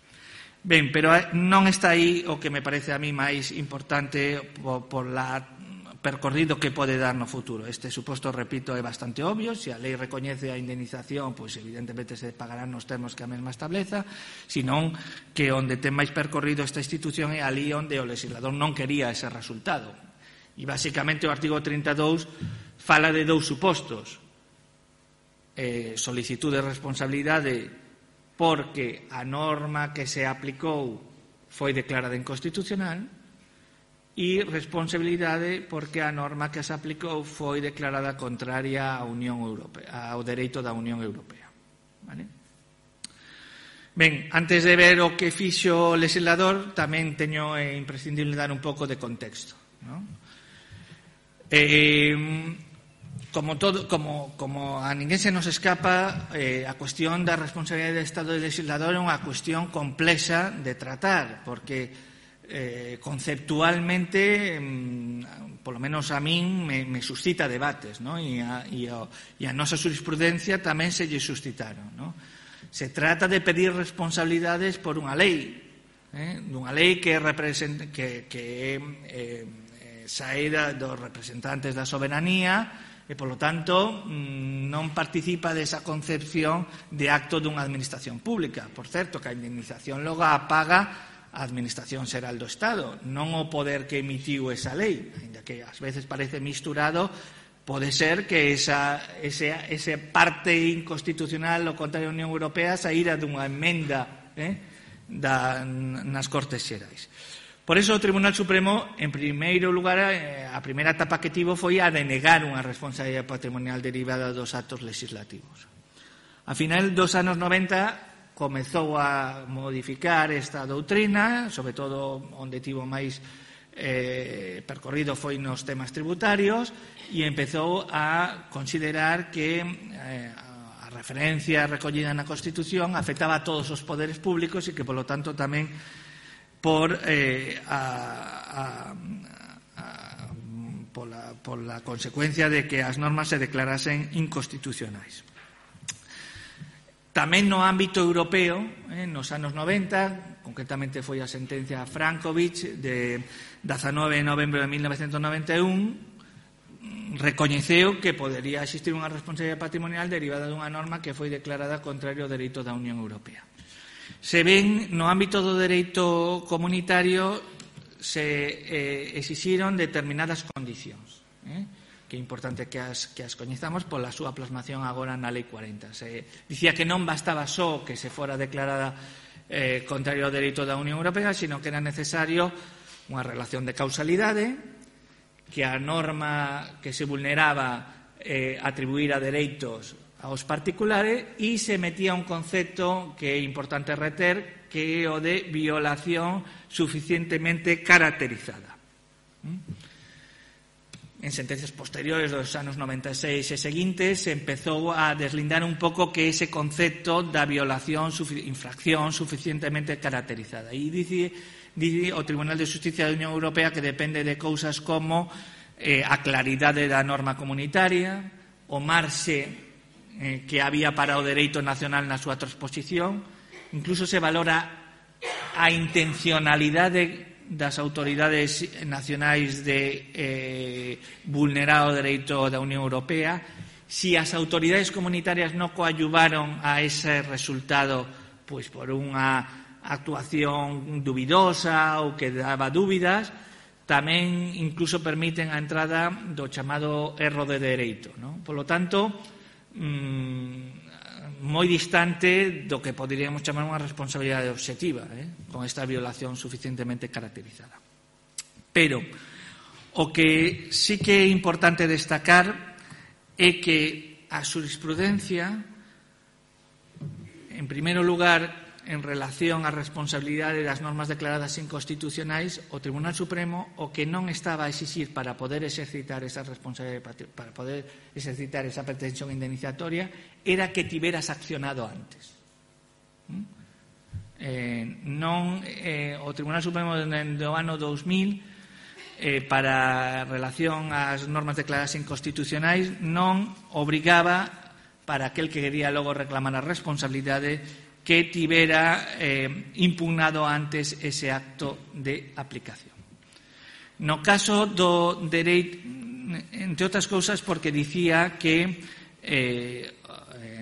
Ben, pero non está aí o que me parece a mí máis importante por la percorrido que pode dar no futuro. Este suposto, repito, é bastante obvio. Se a lei recoñece a indemnización, pois evidentemente se pagarán nos termos que a mesma estableza, senón que onde ten máis percorrido esta institución é ali onde o legislador non quería ese resultado. E basicamente o artigo 32 fala de dous supostos. Solicitud de responsabilidade porque a norma que se aplicou foi declarada inconstitucional e responsabilidade porque a norma que se aplicou foi declarada contraria á Unión Europea, ao dereito da Unión Europea. Vale? Ben, antes de ver o que fixo o legislador, tamén teño imprescindible dar un pouco de contexto, non? Como a ninguén se nos escapa, a cuestión da responsabilidade do Estado legislador é unha cuestión complexa de tratar, porque conceptualmente, polo menos a min, me suscita debates, ¿no? E a nosa jurisprudencia tamén se lle suscitaron, ¿no? Se trata de pedir responsabilidades por unha lei, dunha lei que sae dos representantes da soberanía e, polo tanto, non participa desa concepción de acto dunha administración pública. Por certo, que a indemnización logo a paga a Administración Xeral do Estado, non o poder que emitiu esa lei, ainda que ás veces parece misturado. Pode ser que esa parte inconstitucional o contra a Unión Europea saíra dunha emenda nas Cortes Xerais. Por iso o Tribunal Supremo, en primeiro lugar, a primeira etapa que tivo foi a denegar unha responsabilidade patrimonial derivada dos actos legislativos. A final dos anos 90 comezou a modificar esta doutrina, sobre todo onde tivo máis percorrido foi nos temas tributarios e empezou a considerar que a referencia recollida na Constitución afectaba a todos os poderes públicos e que, polo tanto, tamén pola consecuencia de que as normas se declarasen inconstitucionais. Tamén no ámbito europeo, nos anos 90, concretamente foi a sentencia Frankovic de 19 de novembro de 1991, recoñeceu que podería existir unha responsabilidade patrimonial derivada dunha norma que foi declarada contrario ao dereito da Unión Europea. Se ven, no ámbito do dereito comunitario se exixiron determinadas condicións, que é importante que as coñezamos pola súa plasmación agora na Lei 40. Se dicía que non bastaba só que se fora declarada contrario ao dereito da Unión Europea, sino que era necesario unha relación de causalidade, que a norma que se vulneraba atribuíra dereitos aos particulares e se metía un concepto que é importante reter, que é o de violación suficientemente caracterizada. En sentencias posteriores dos anos 96 e seguintes se empezou a deslindar un pouco que ese concepto da violación, infracción suficientemente caracterizada. E dice o Tribunal de Xusticia da Unión Europea que depende de cousas como a claridade da norma comunitaria, o marxe que había para o dereito nacional na súa transposición, incluso se valora a intencionalidade das autoridades nacionais de vulnerar o dereito da Unión Europea, si as autoridades comunitarias non coadyuvaron a ese resultado pois por unha actuación dubidosa ou que daba dúbidas, tamén incluso permiten a entrada do chamado erro de dereito, non? Polo tanto, moi distante do que poderíamos chamar unha responsabilidade obxectiva, con esta violación suficientemente caracterizada. Pero o que sí que é importante destacar é que a xurisprudencia, en primeiro lugar, en relación á responsabilidade das normas declaradas inconstitucionais, o Tribunal Supremo o que non estaba a exixir para poder exercitar esa responsabilidade, para poder exercitar esa pretensión indemnizatoria, era que tiveras accionado antes. O Tribunal Supremo do ano 2000 para relación ás normas declaradas inconstitucionais non obrigaba para aquel que quería logo reclamar a responsabilidade que tivera impugnado antes ese acto de aplicación. No caso do dereito, entre outras cousas, porque dicía que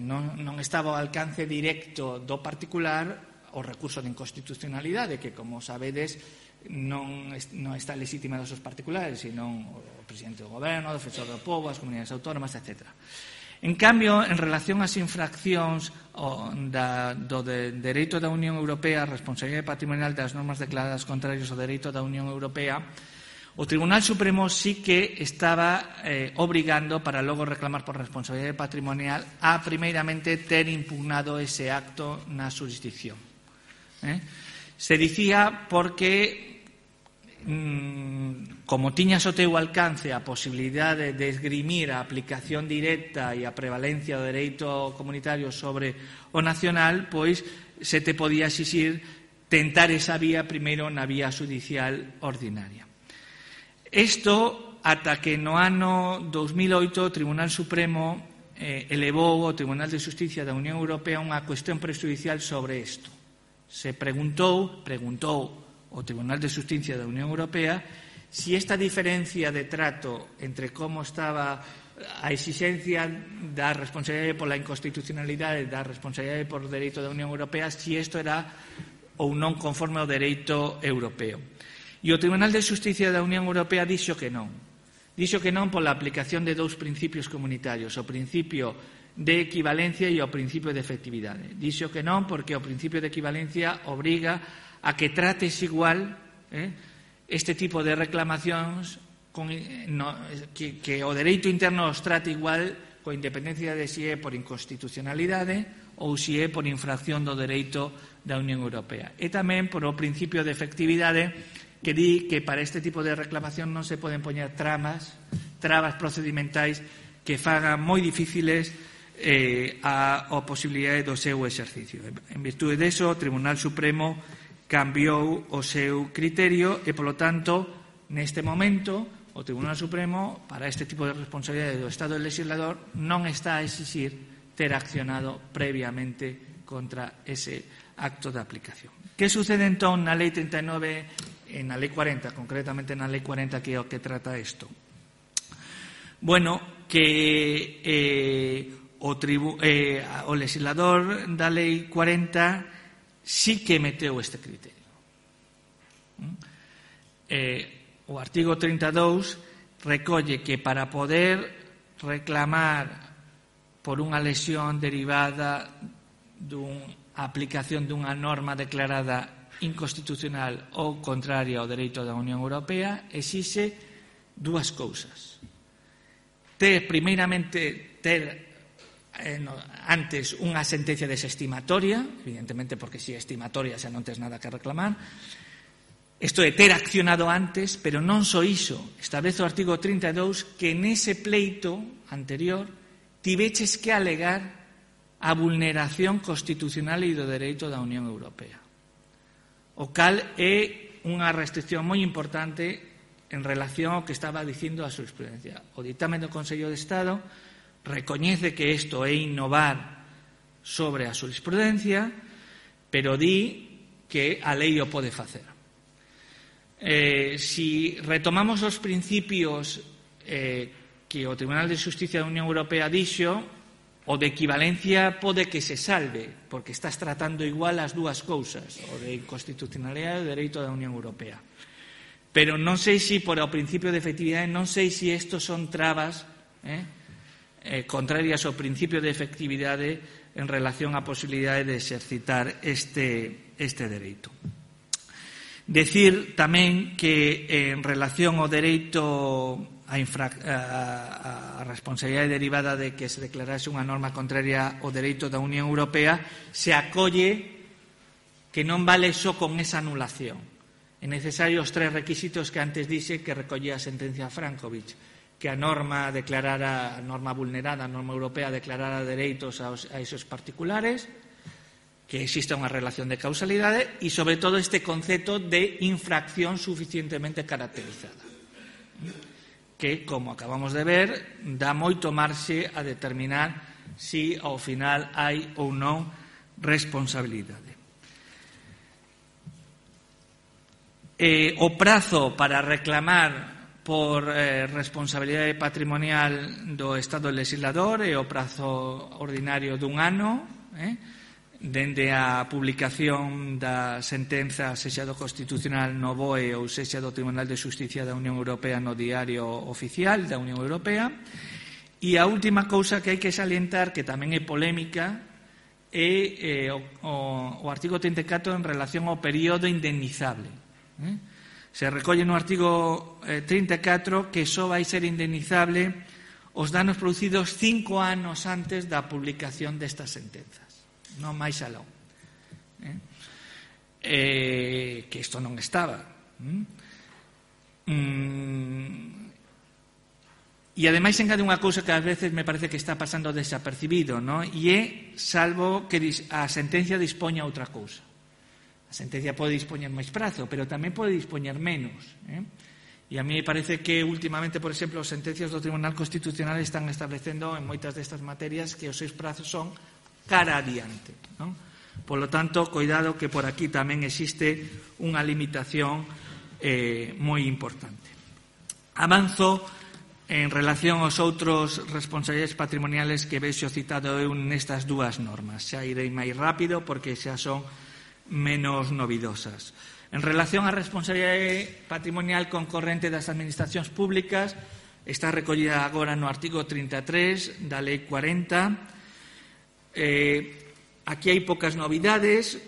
non estaba ao alcance directo do particular o recurso de inconstitucionalidade, que, como sabedes, non está legitimado aos particulares, sino o presidente do goberno, o defensor do pobo, as comunidades autónomas, etc. En cambio, en relación ás infraccións do dereito da Unión Europea, a responsabilidade patrimonial das normas declaradas contrarias ao dereito da Unión Europea, o Tribunal Supremo sí que estaba obrigando, para logo reclamar por responsabilidade patrimonial, a primeiramente ter impugnado ese acto na xurisdicción. Se dicía porque como tiña ao teu alcance a posibilidade de esgrimir a aplicación directa e a prevalencia do dereito comunitario sobre o nacional, pois se te podía exixir tentar esa vía primeiro na vía xudicial ordinaria. Isto ata que no ano 2008 o Tribunal Supremo elevou ao Tribunal de Xusticia da Unión Europea unha cuestión prexudicial sobre isto. Se preguntou o Tribunal de Xusticia da Unión Europea si esta diferencia de trato entre como estaba a exixencia da responsabilidade pola inconstitucionalidade e da responsabilidade por dereito da Unión Europea, si isto era ou non conforme ao dereito europeo. E o Tribunal de Xusticia da Unión Europea dixo que non. Dixo que non pola aplicación de dous principios comunitarios, o principio de equivalencia e o principio de efectividade. Dixo que non porque o principio de equivalencia obriga a que trates igual este tipo de reclamacións que o dereito interno os trate igual coa independencia de si é por inconstitucionalidade ou si é por infracción do dereito da Unión Europea. E tamén por o principio de efectividade que di que para este tipo de reclamación non se poden poñer trabas procedimentais que fagan moi difíciles a posibilidade do seu exercicio. En virtude deso, o Tribunal Supremo cambiou o seu criterio e, polo tanto, neste momento, o Tribunal Supremo, para este tipo de responsabilidade do Estado legislador, non está a exixir ter accionado previamente contra ese acto de aplicación. Que sucede entón na Lei 39 e na Lei 40, concretamente na Lei 40, que é o que trata isto? Bueno, que o legislador da Lei 40 sí que meteu este criterio. O artigo 32 recolle que para poder reclamar por unha lesión derivada dunha aplicación dunha norma declarada inconstitucional ou contraria ao dereito da Unión Europea, exixe dúas cousas. Primeiramente, antes unha sentencia desestimatoria, evidentemente porque se é estimatoria xa non tes nada que reclamar. Isto é ter accionado antes, pero non só iso. Establece o artigo 32 que nese pleito anterior tiveches que alegar a vulneración constitucional e do dereito da Unión Europea. O cal é unha restricción moi importante en relación ao que estaba dicindo a xurisprudencia. O dictamen do Consello de Estado recoñece que isto é innovar sobre a xurisprudencia, pero di que a lei o pode facer. Si retomamos os principios que o Tribunal de Xusticia da Unión Europea dixo, o de equivalencia pode que se salve, porque estás tratando igual as dúas cousas, o de inconstitucionalidade e o dereito da Unión Europea. Pero non sei se por o principio de efectividade, non sei se estos son trabas contrarias ao principio de efectividade en relación á posibilidade de exercitar este dereito. Decir tamén que en relación ao dereito a responsabilidade derivada de que se declarase unha norma contraria ao dereito da Unión Europea, se acolle que non vale só con esa anulación. É necesario os tres requisitos que antes dixe que recollía a sentencia Frankovic, que a norma declarara, a norma vulnerada, a norma europea declarara dereitos a esos particulares, que exista unha relación de causalidade e, sobre todo, este concepto de infracción suficientemente caracterizada, que, como acabamos de ver, dá moito marxe a determinar si ao final hai ou non responsabilidade. O prazo para reclamar por responsabilidade patrimonial do Estado legislador é o prazo ordinario dun ano, dende a publicación da sentenza sexa do Constitucional no BOE ou sexa do Tribunal de Xusticia da Unión Europea no Diario Oficial da Unión Europea. E a última cousa que hai que salientar, que tamén é polémica, é o artigo 34 en relación ao período indemnizable. Se recolle no artigo 34 que só vai ser indemnizable os danos producidos 5 anos antes da publicación destas sentenzas, non máis aló. Que isto non estaba. E ademais engade unha cousa que ás veces me parece que está pasando desapercibido, non? E é salvo que a sentencia dispoña outra cousa. A sentencia pode dispoñer máis prazo, pero tamén pode dispoñer menos. E a mí me parece que últimamente, por exemplo, as sentencias do Tribunal Constitucional están establecendo en moitas destas materias que os seus prazos son cara adiante, non? Por lo tanto, cuidado que por aquí tamén existe unha limitación moi importante. Avanzo en relación aos outros responsabilidades patrimoniales que vexo citado eu nestas dúas normas. Xa irei máis rápido porque xa son menos novidosas. En relación á responsabilidade patrimonial concorrente das administracións públicas, está recollida agora no artigo 33 da Lei 40. Aquí hai poucas novidades.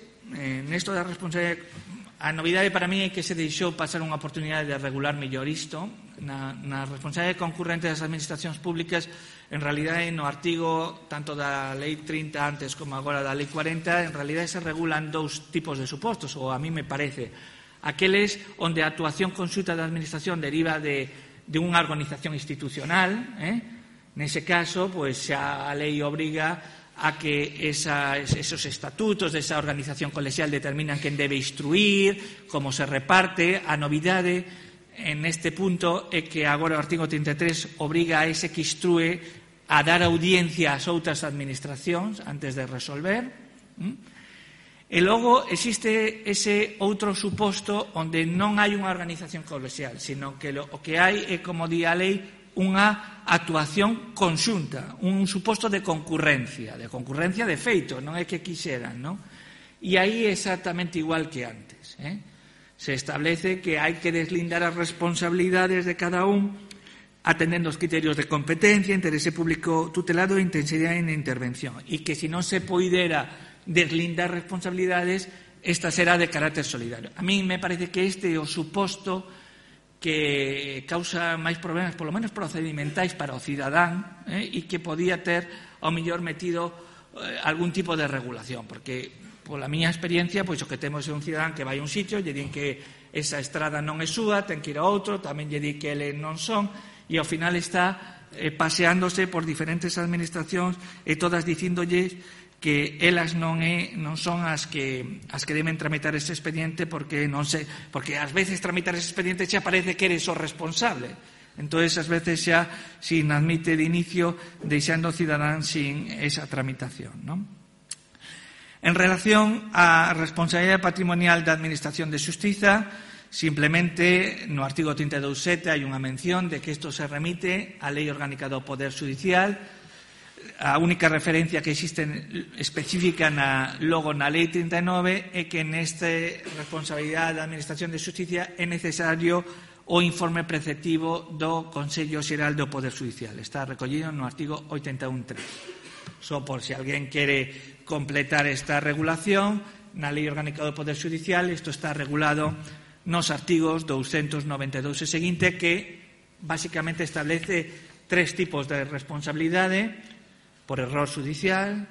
Nesto da responsabilidade, a novidade para mí é que se deixou pasar unha oportunidade de regular mellor isto. Na responsabilidade concurrente das administracións públicas, en realidade no artigo tanto da Lei 30 antes como agora da Lei 40, en realidade se regulan dous tipos de supostos, ou a mí me parece. aqueles onde a actuación conxunta da Administración deriva de unha organización institucional, nese caso, pois xa a lei obriga a que esos estatutos desa organización colexial determinan quen debe instruir, como se reparte. A novidade en este punto é que agora o artigo 33 obriga a ese que instrue a dar audiencia ás outras administracións antes de resolver. E logo existe ese outro suposto onde non hai unha organización colexial, sino que o que hai é, como di a lei, unha actuación conxunta, un suposto de concurrencia de feito, non é que quixeran, non? E aí é exactamente igual que antes, Se establece que hai que deslindar as responsabilidades de cada un atendendo os criterios de competencia, interese público tutelado e intensidade en intervención, e que se non se poidera deslindar responsabilidades, esta será de carácter solidario. A mí me parece que este é o suposto que causa máis problemas, polo menos procedimentais, para o cidadán, e que podía ter, ao mellor, metido algún tipo de regulación, porque, pola miña experiencia, pois o que temos é un cidadán que vai a un sitio, lle din que esa estrada non é súa, ten que ir a outro, tamén lle di que eles non son, e ao final está paseándose por diferentes administracións e todas dicíndolles que elas non son as que deben tramitar ese expediente, porque ás veces tramitar ese expediente xa parece que eres o responsable. Entonces, ás veces xa sin admite de inicio, deixando o cidadán sin esa tramitación, non? En relación á responsabilidade patrimonial da Administración de Xustiza, simplemente no artigo 32.7 hai unha mención de que isto se remite á Lei Orgánica do Poder Judicial. A única referencia que existe específica logo na Lei 39 é que nesta responsabilidade da Administración de Xusticia é necesario o informe preceptivo do Consello Xeral do Poder Judicial. Está recollido no artigo 81.3. Só por se alguén quere completar esta regulación, na Lei Orgánica do Poder Judicial isto está regulado nos artigos 292 e seguinte, que basicamente establece tres tipos de responsabilidade: por error judicial,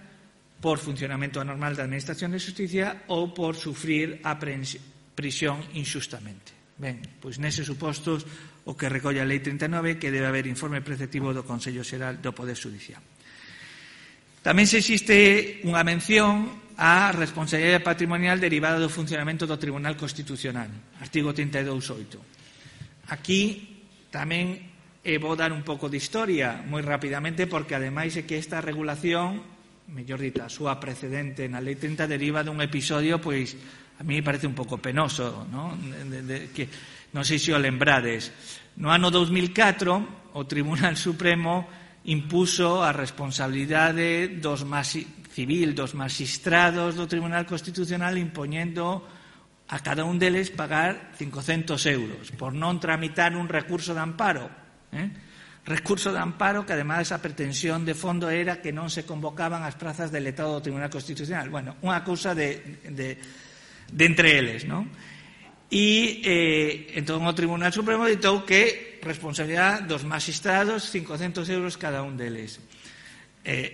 por funcionamento anormal da Administración de Xusticia ou por sufrir a prisión inxustamente. Ben, pois neses supostos o que recolle a Lei 39 que debe haber informe preceptivo do Consello Xeral do Poder Judicial. Tamén se existe unha mención á responsabilidade patrimonial derivada do funcionamento do Tribunal Constitucional, artigo 32.8. Aquí tamén vou dar un pouco de historia moi rapidamente, porque ademais é que esta regulación, mellor dito, a súa precedente na Lei 30 deriva dun episodio, pois a mí me parece un pouco penoso, non? Que non sei se o lembrades. No ano 2004 o Tribunal Supremo impuso a responsabilidade dos magistrados do Tribunal Constitucional, impoñendo a cada un deles pagar 500 euros por non tramitar un recurso de amparo. Recurso de amparo que, ademais, a pretensión de fondo era que non se convocaban as prazas de letrado do Tribunal Constitucional. Bueno, unha cousa de entre eles, non? E entón o Tribunal Supremo ditou que responsabilidade dos magistrados, 500 euros cada un deles.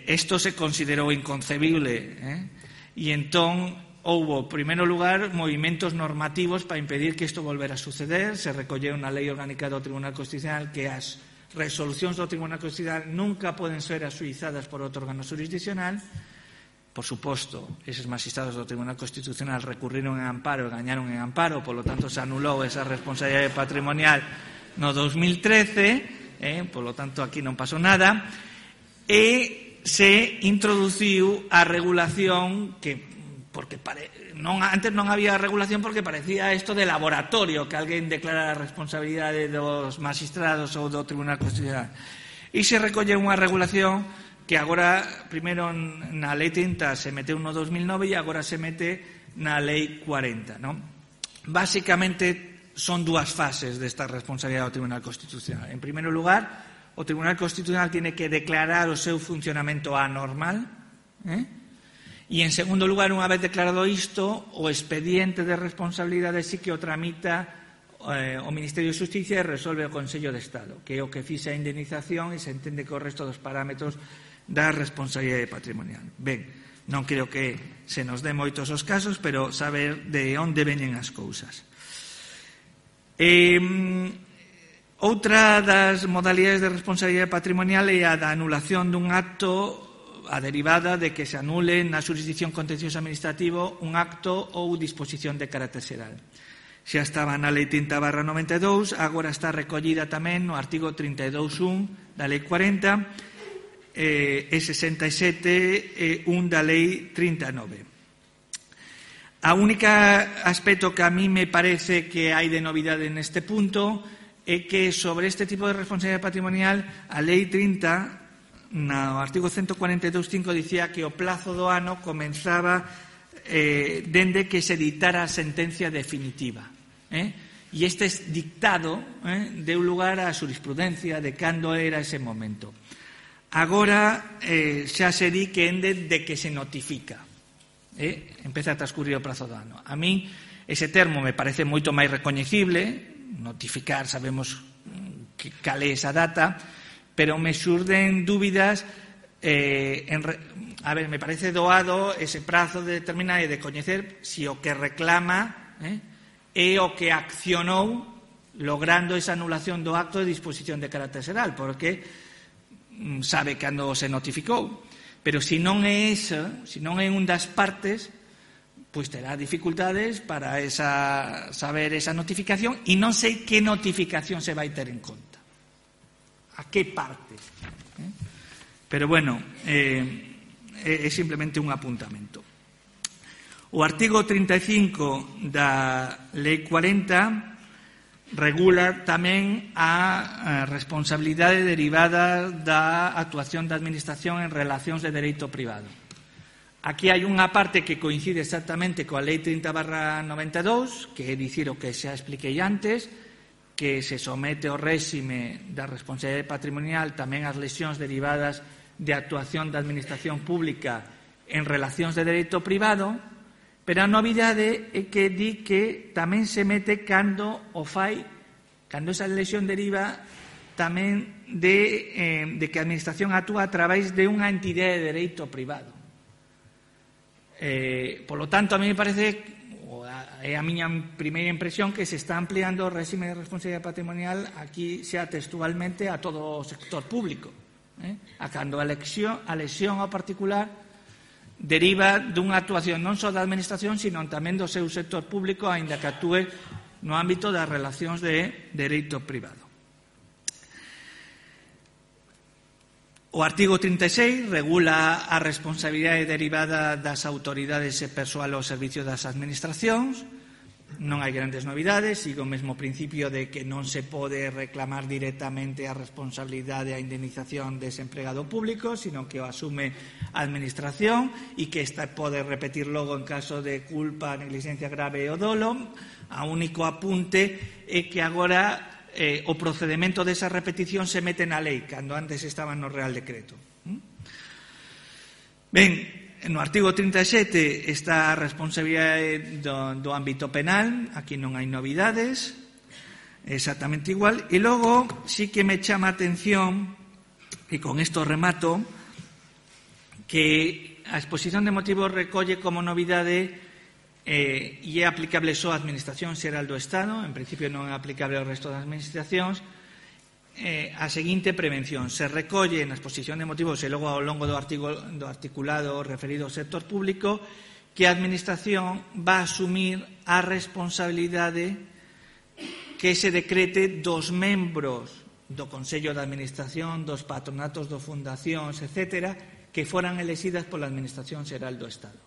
Isto se considerou inconcebible, e entón houbo, en primeiro lugar, movimentos normativos para impedir que isto volvera a suceder. Se recolleu na Lei Orgánica do Tribunal Constitucional que as resolucións do Tribunal Constitucional nunca poden ser asuizadas por outro órgano jurisdiccional. Por suposto, eses magistrados do Tribunal Constitucional recurriron en amparo e gañaron en amparo, polo tanto se anulou esa responsabilidade patrimonial no 2013, polo tanto aquí non pasou nada, e se introduciu a regulación que porque antes non había regulación, porque parecía isto de laboratorio, que alguén declara a responsabilidade dos magistrados ou do Tribunal Constitucional. E se recolle unha regulación que agora, primeiro na Lei 30 se meteu no 2009 e agora se mete na Lei 40, non? Básicamente son dúas fases desta responsabilidade do Tribunal Constitucional. En primeiro lugar, o Tribunal Constitucional tiene que declarar o seu funcionamento anormal, e, en segundo lugar, unha vez declarado isto, o expediente de responsabilidade sí que o tramita o Ministerio de Xusticia e resolve o Consello de Estado, que é o que fixa a indemnización e se entende que o resto dos parámetros da responsabilidade patrimonial. Ben, non creo que se nos dé moitos os casos, pero saber de onde veñen as cousas. Outra das modalidades de responsabilidade patrimonial é a da anulación dun acto, a derivada de que se anule na xurisdicción contencioso administrativo un acto ou disposición de carácter xeral. Xa estaba na Lei 30/92, agora está recollida tamén no artigo 32.1 da Lei 40 e 67.1 da Lei 39. A única aspecto que a mí me parece que hai de novidade neste punto é que sobre este tipo de responsabilidade patrimonial a Lei 30, no artigo 142.5, dicía que o plazo do ano comenzaba dende que se dictara a sentencia definitiva. E este dictado deu lugar á xurisprudencia de cando era ese momento. Agora xa se di que ende de que se notifica. Empeza a transcurrir o prazo do ano. A min ese termo me parece moito máis recoñecible. Notificar, sabemos cal é esa data, pero me xurden dúbidas. Me parece doado ese prazo de determinar e de coñecer se o que reclama é o que accionou logrando esa anulación do acto de disposición de carácter xeral, porque sabe cando se notificou. Pero se non é esa, se non é un das partes, pois terá dificultades para saber esa notificación e non sei que notificación se vai ter en conta. A que parte. Pero, bueno, é simplemente un apuntamento. O artigo 35 da Lei 40 regula tamén a responsabilidade derivada da actuación da Administración en relacións de dereito privado. Aquí hai unha parte que coincide exactamente coa Lei 30/92, que é dicir o que xa expliquei antes, que se somete ao réxime da responsabilidade patrimonial tamén as lesións derivadas de actuación da Administración Pública en relacións de dereito privado, pero a novidade é que di que tamén se mete cando o fai, cando esa lesión deriva tamén de que a Administración actúa a través de unha entidade de dereito privado. Polo tanto, a mí me parece, é a miña primeira impresión, que se está ampliando o réxime de responsabilidade patrimonial aquí xa textualmente a todo o sector público, a cando a lesión ao particular deriva dunha actuación non só da Administración, sino tamén do seu sector público, aínda que actúe no ámbito das relacións de dereito privado. O artigo 36 regula a responsabilidade derivada das autoridades e persoal ao servicio das administracións. Non hai grandes novidades, sigo o mesmo principio de que non se pode reclamar directamente a responsabilidade e a indemnización dese empregado público, sino que o asume a administración e que esta pode repetir logo en caso de culpa, negligencia grave ou dolo. A único apunte é que agora o procedemento desa repetición se mete na lei, cando antes estaba no Real Decreto. Ben, no artigo 37 está a responsabilidade do ámbito penal, aquí non hai novidades, exactamente igual. E logo sí que me chama a atención, e con isto remato, que a exposición de motivos recolle como novidade e é aplicable só á Administración Xeral do Estado, en principio non é aplicable ao resto das administracións, a seguinte prevención. Se recolle na exposición de motivos e logo ao longo do articulado referido ao sector público que a Administración va a asumir a responsabilidade que se decrete dos membros do Consello de Administración, dos patronatos, dos fundacións, etc., que foran elexidas pola Administración Xeral do Estado.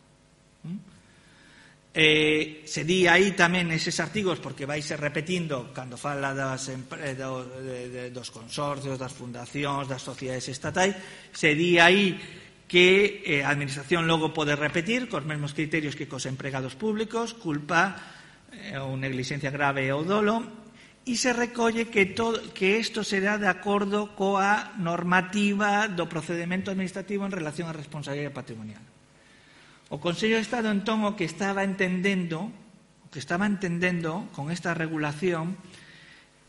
Se di aí tamén eses artigos, porque vai ser repetindo cando fala dos consorcios, das fundacións, das sociedades estatais, se di aí que a Administración logo pode repetir cos mesmos criterios que cos empregados públicos, culpa ou negligencia grave ou dolo, e se recolle que isto será de acordo coa normativa do procedemento administrativo en relación á responsabilidade patrimonial. O Consello de Estado, entón, o que estaba entendendo con esta regulación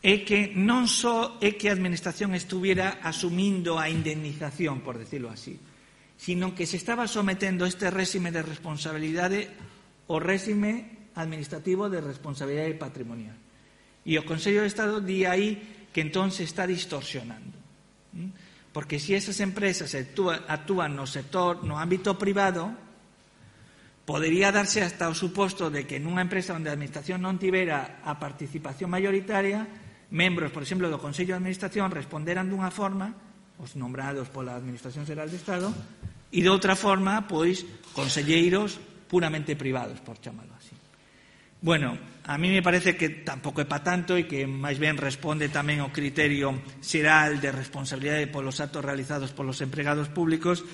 é que non só é que a Administración estuviera asumindo a indemnización, por decirlo así, sino que se estaba sometendo este réxime de responsabilidade ao réxime administrativo de responsabilidade patrimonial. E o Consello de Estado di aí que entón se está distorsionando. Porque se esas empresas actúan no sector, no ámbito privado, podería darse hasta o suposto de que nunha empresa onde a administración non tivera a participación mayoritaria, membros, por exemplo, do Consello de Administración responderan dunha forma, os nombrados pola Administración Xeral de Estado, e de outra forma, pois, conselleiros puramente privados, por chamalo así. Bueno, a mí me parece que tampouco é pa tanto e que máis ben responde tamén ao criterio xeral de responsabilidade polos actos realizados polos empregados públicos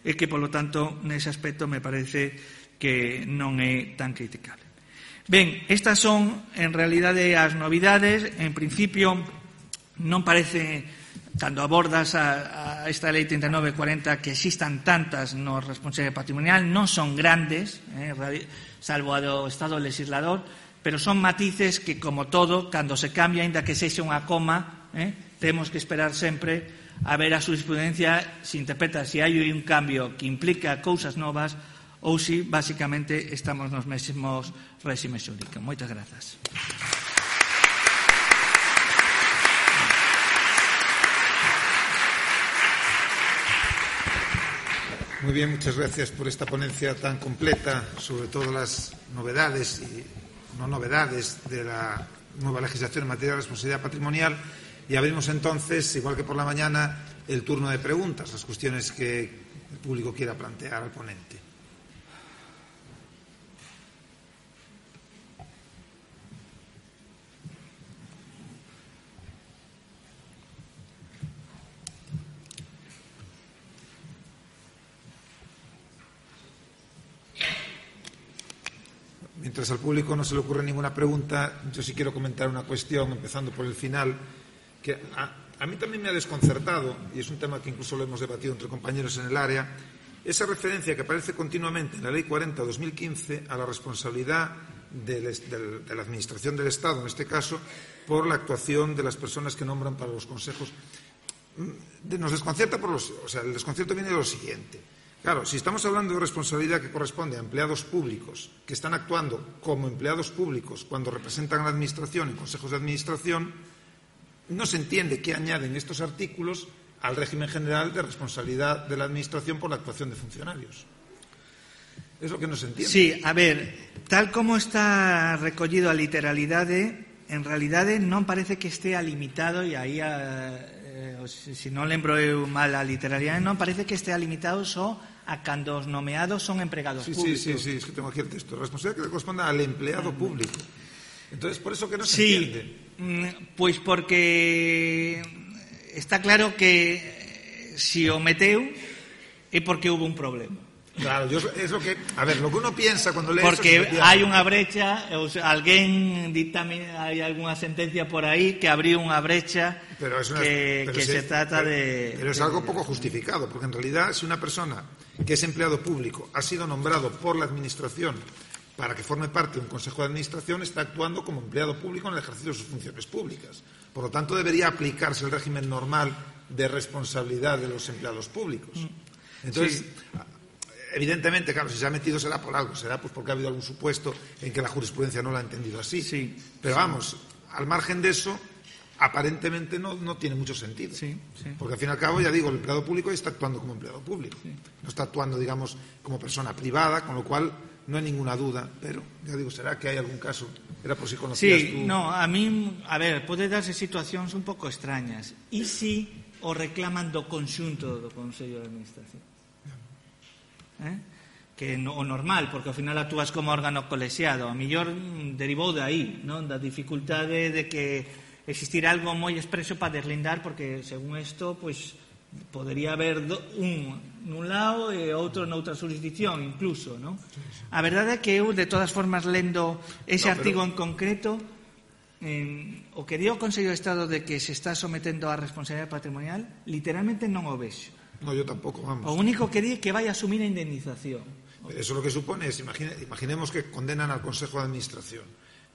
e que, polo tanto, nese aspecto me parece que non é tan criticable. Ben, estas son, en realidade, as novidades. En principio, non parece, cando abordas a esta Lei 3940, que existan tantas no responsabilidade patrimonial, non son grandes, salvo a do Estado legislador, pero son matices que, como todo, cando se cambia, ainda que sexa unha coma, temos que esperar sempre a ver a jurisprudencia se interpreta se hai un cambio que implica cousas novas ou se, basicamente, estamos nos mesmos réximes xurídicos. Moitas grazas. Muy bien, muchas gracias por esta ponencia tan completa sobre todas las novedades y no novedades de la nueva legislación en materia de responsabilidad patrimonial. Y abrimos entonces, igual que por la mañana, el turno de preguntas, las cuestiones que el público quiera plantear al ponente. Mientras al público no se le ocurre ninguna pregunta, yo sí quiero comentar una cuestión, empezando por el final, que a mí también me ha desconcertado, y es un tema que incluso lo hemos debatido entre compañeros en el área, esa referencia que aparece continuamente en la Ley 40/2015 a la responsabilidad de la Administración del Estado, en este caso, por la actuación de las personas que nombran para los consejos. Nos desconcierta el desconcierto viene de lo siguiente. Claro, si estamos hablando de responsabilidad que corresponde a empleados públicos que están actuando como empleados públicos cuando representan a la Administración en consejos de administración, no se entiende qué añaden estos artículos al régimen general de responsabilidad de la Administración por la actuación de funcionarios. Es lo que no se entiende. Sí, a ver, tal como está recollido a literalidade, en realidade non parece que estea limitado, e aí, se non lembro eu mal a literalidade, non parece que estea limitado só a cando os nomeados son empregados públicos. Sí, es que tengo aquí el texto. Responsabilidad que corresponde al empleado público. Entonces, por eso que no se entiende. Pois porque está claro que se o meteu é porque hubo un problema. Claro, es lo que... A ver, lo que uno piensa cuando lee porque eso... Porque hai unha brecha, alguén dictamina, hai algunha sentencia por aí que abriu unha brecha se trata de... Pero es algo poco justificado, porque en realidad si una persona que es empleado público ha sido nombrado por la Administración para que forme parte de un Consejo de Administración, está actuando como empleado público en el ejercicio de sus funciones públicas. Por lo tanto, debería aplicarse el régimen normal de responsabilidad de los empleados públicos. Entonces... Sí. Evidentemente, claro, si se ha metido será por algo, será pues porque ha habido algún supuesto en que la jurisprudencia no lo ha entendido así. Sí. Pero vamos, al margen de eso, aparentemente no tiene mucho sentido. Sí. Porque al fin y al cabo, ya digo, el empleado público está actuando como empleado público. Sí. No está actuando, digamos, como persona privada, con lo cual no hay ninguna duda. Pero, ya digo, será que hay algún caso. Era por si conocías tú. No, a mí, a ver, pode darse situacións un pouco extrañas. E si o reclaman do conxunto do Consello de Administración? Que o normal, porque ao final actúas como órgano colexiado, a mellor derivou de aí, non? Da dificultade de que existirá algo moi expreso para deslindar, porque según isto, pois podería haber un nun lado e outro noutra jurisdicción incluso, non? A verdade é que eu, de todas formas, lendo ese artigo en concreto, o que dio o Consello de Estado de que se está sometendo á responsabilidade patrimonial, literalmente non o vexo. No, yo tampoco, vamos. O único que di é que vai a asumir a indemnización. Eso lo que supone es, imaginemos que condenan al Consejo de Administración.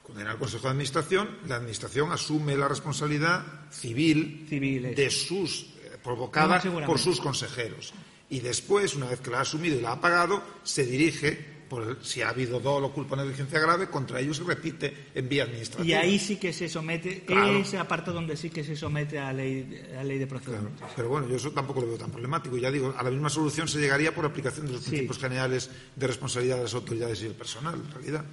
Condenan al Consejo de Administración, la Administración asume la responsabilidad civil de sus, provocada por sus consejeros. Y después, una vez que la ha asumido y la ha pagado, se dirige si ha habido dolo, culpa o negligencia grave, contra ellos se repite en vía administrativa. Y ahí sí que se somete, claro, ese apartado donde sí que se somete a ley de procedimientos. Claro, pero bueno, yo eso tampoco lo veo tan problemático. Ya digo, a la misma solución se llegaría por aplicación de los principios generales de responsabilidad de las autoridades y el personal, en realidad.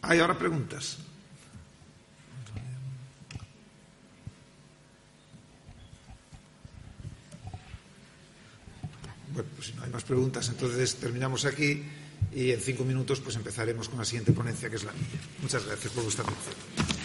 ¿Hay ahora preguntas? Bueno, pues si no hay más preguntas, entonces terminamos aquí y en 5 minutos pues empezaremos con la siguiente ponencia, que es la mía. Muchas gracias por vuestra atención.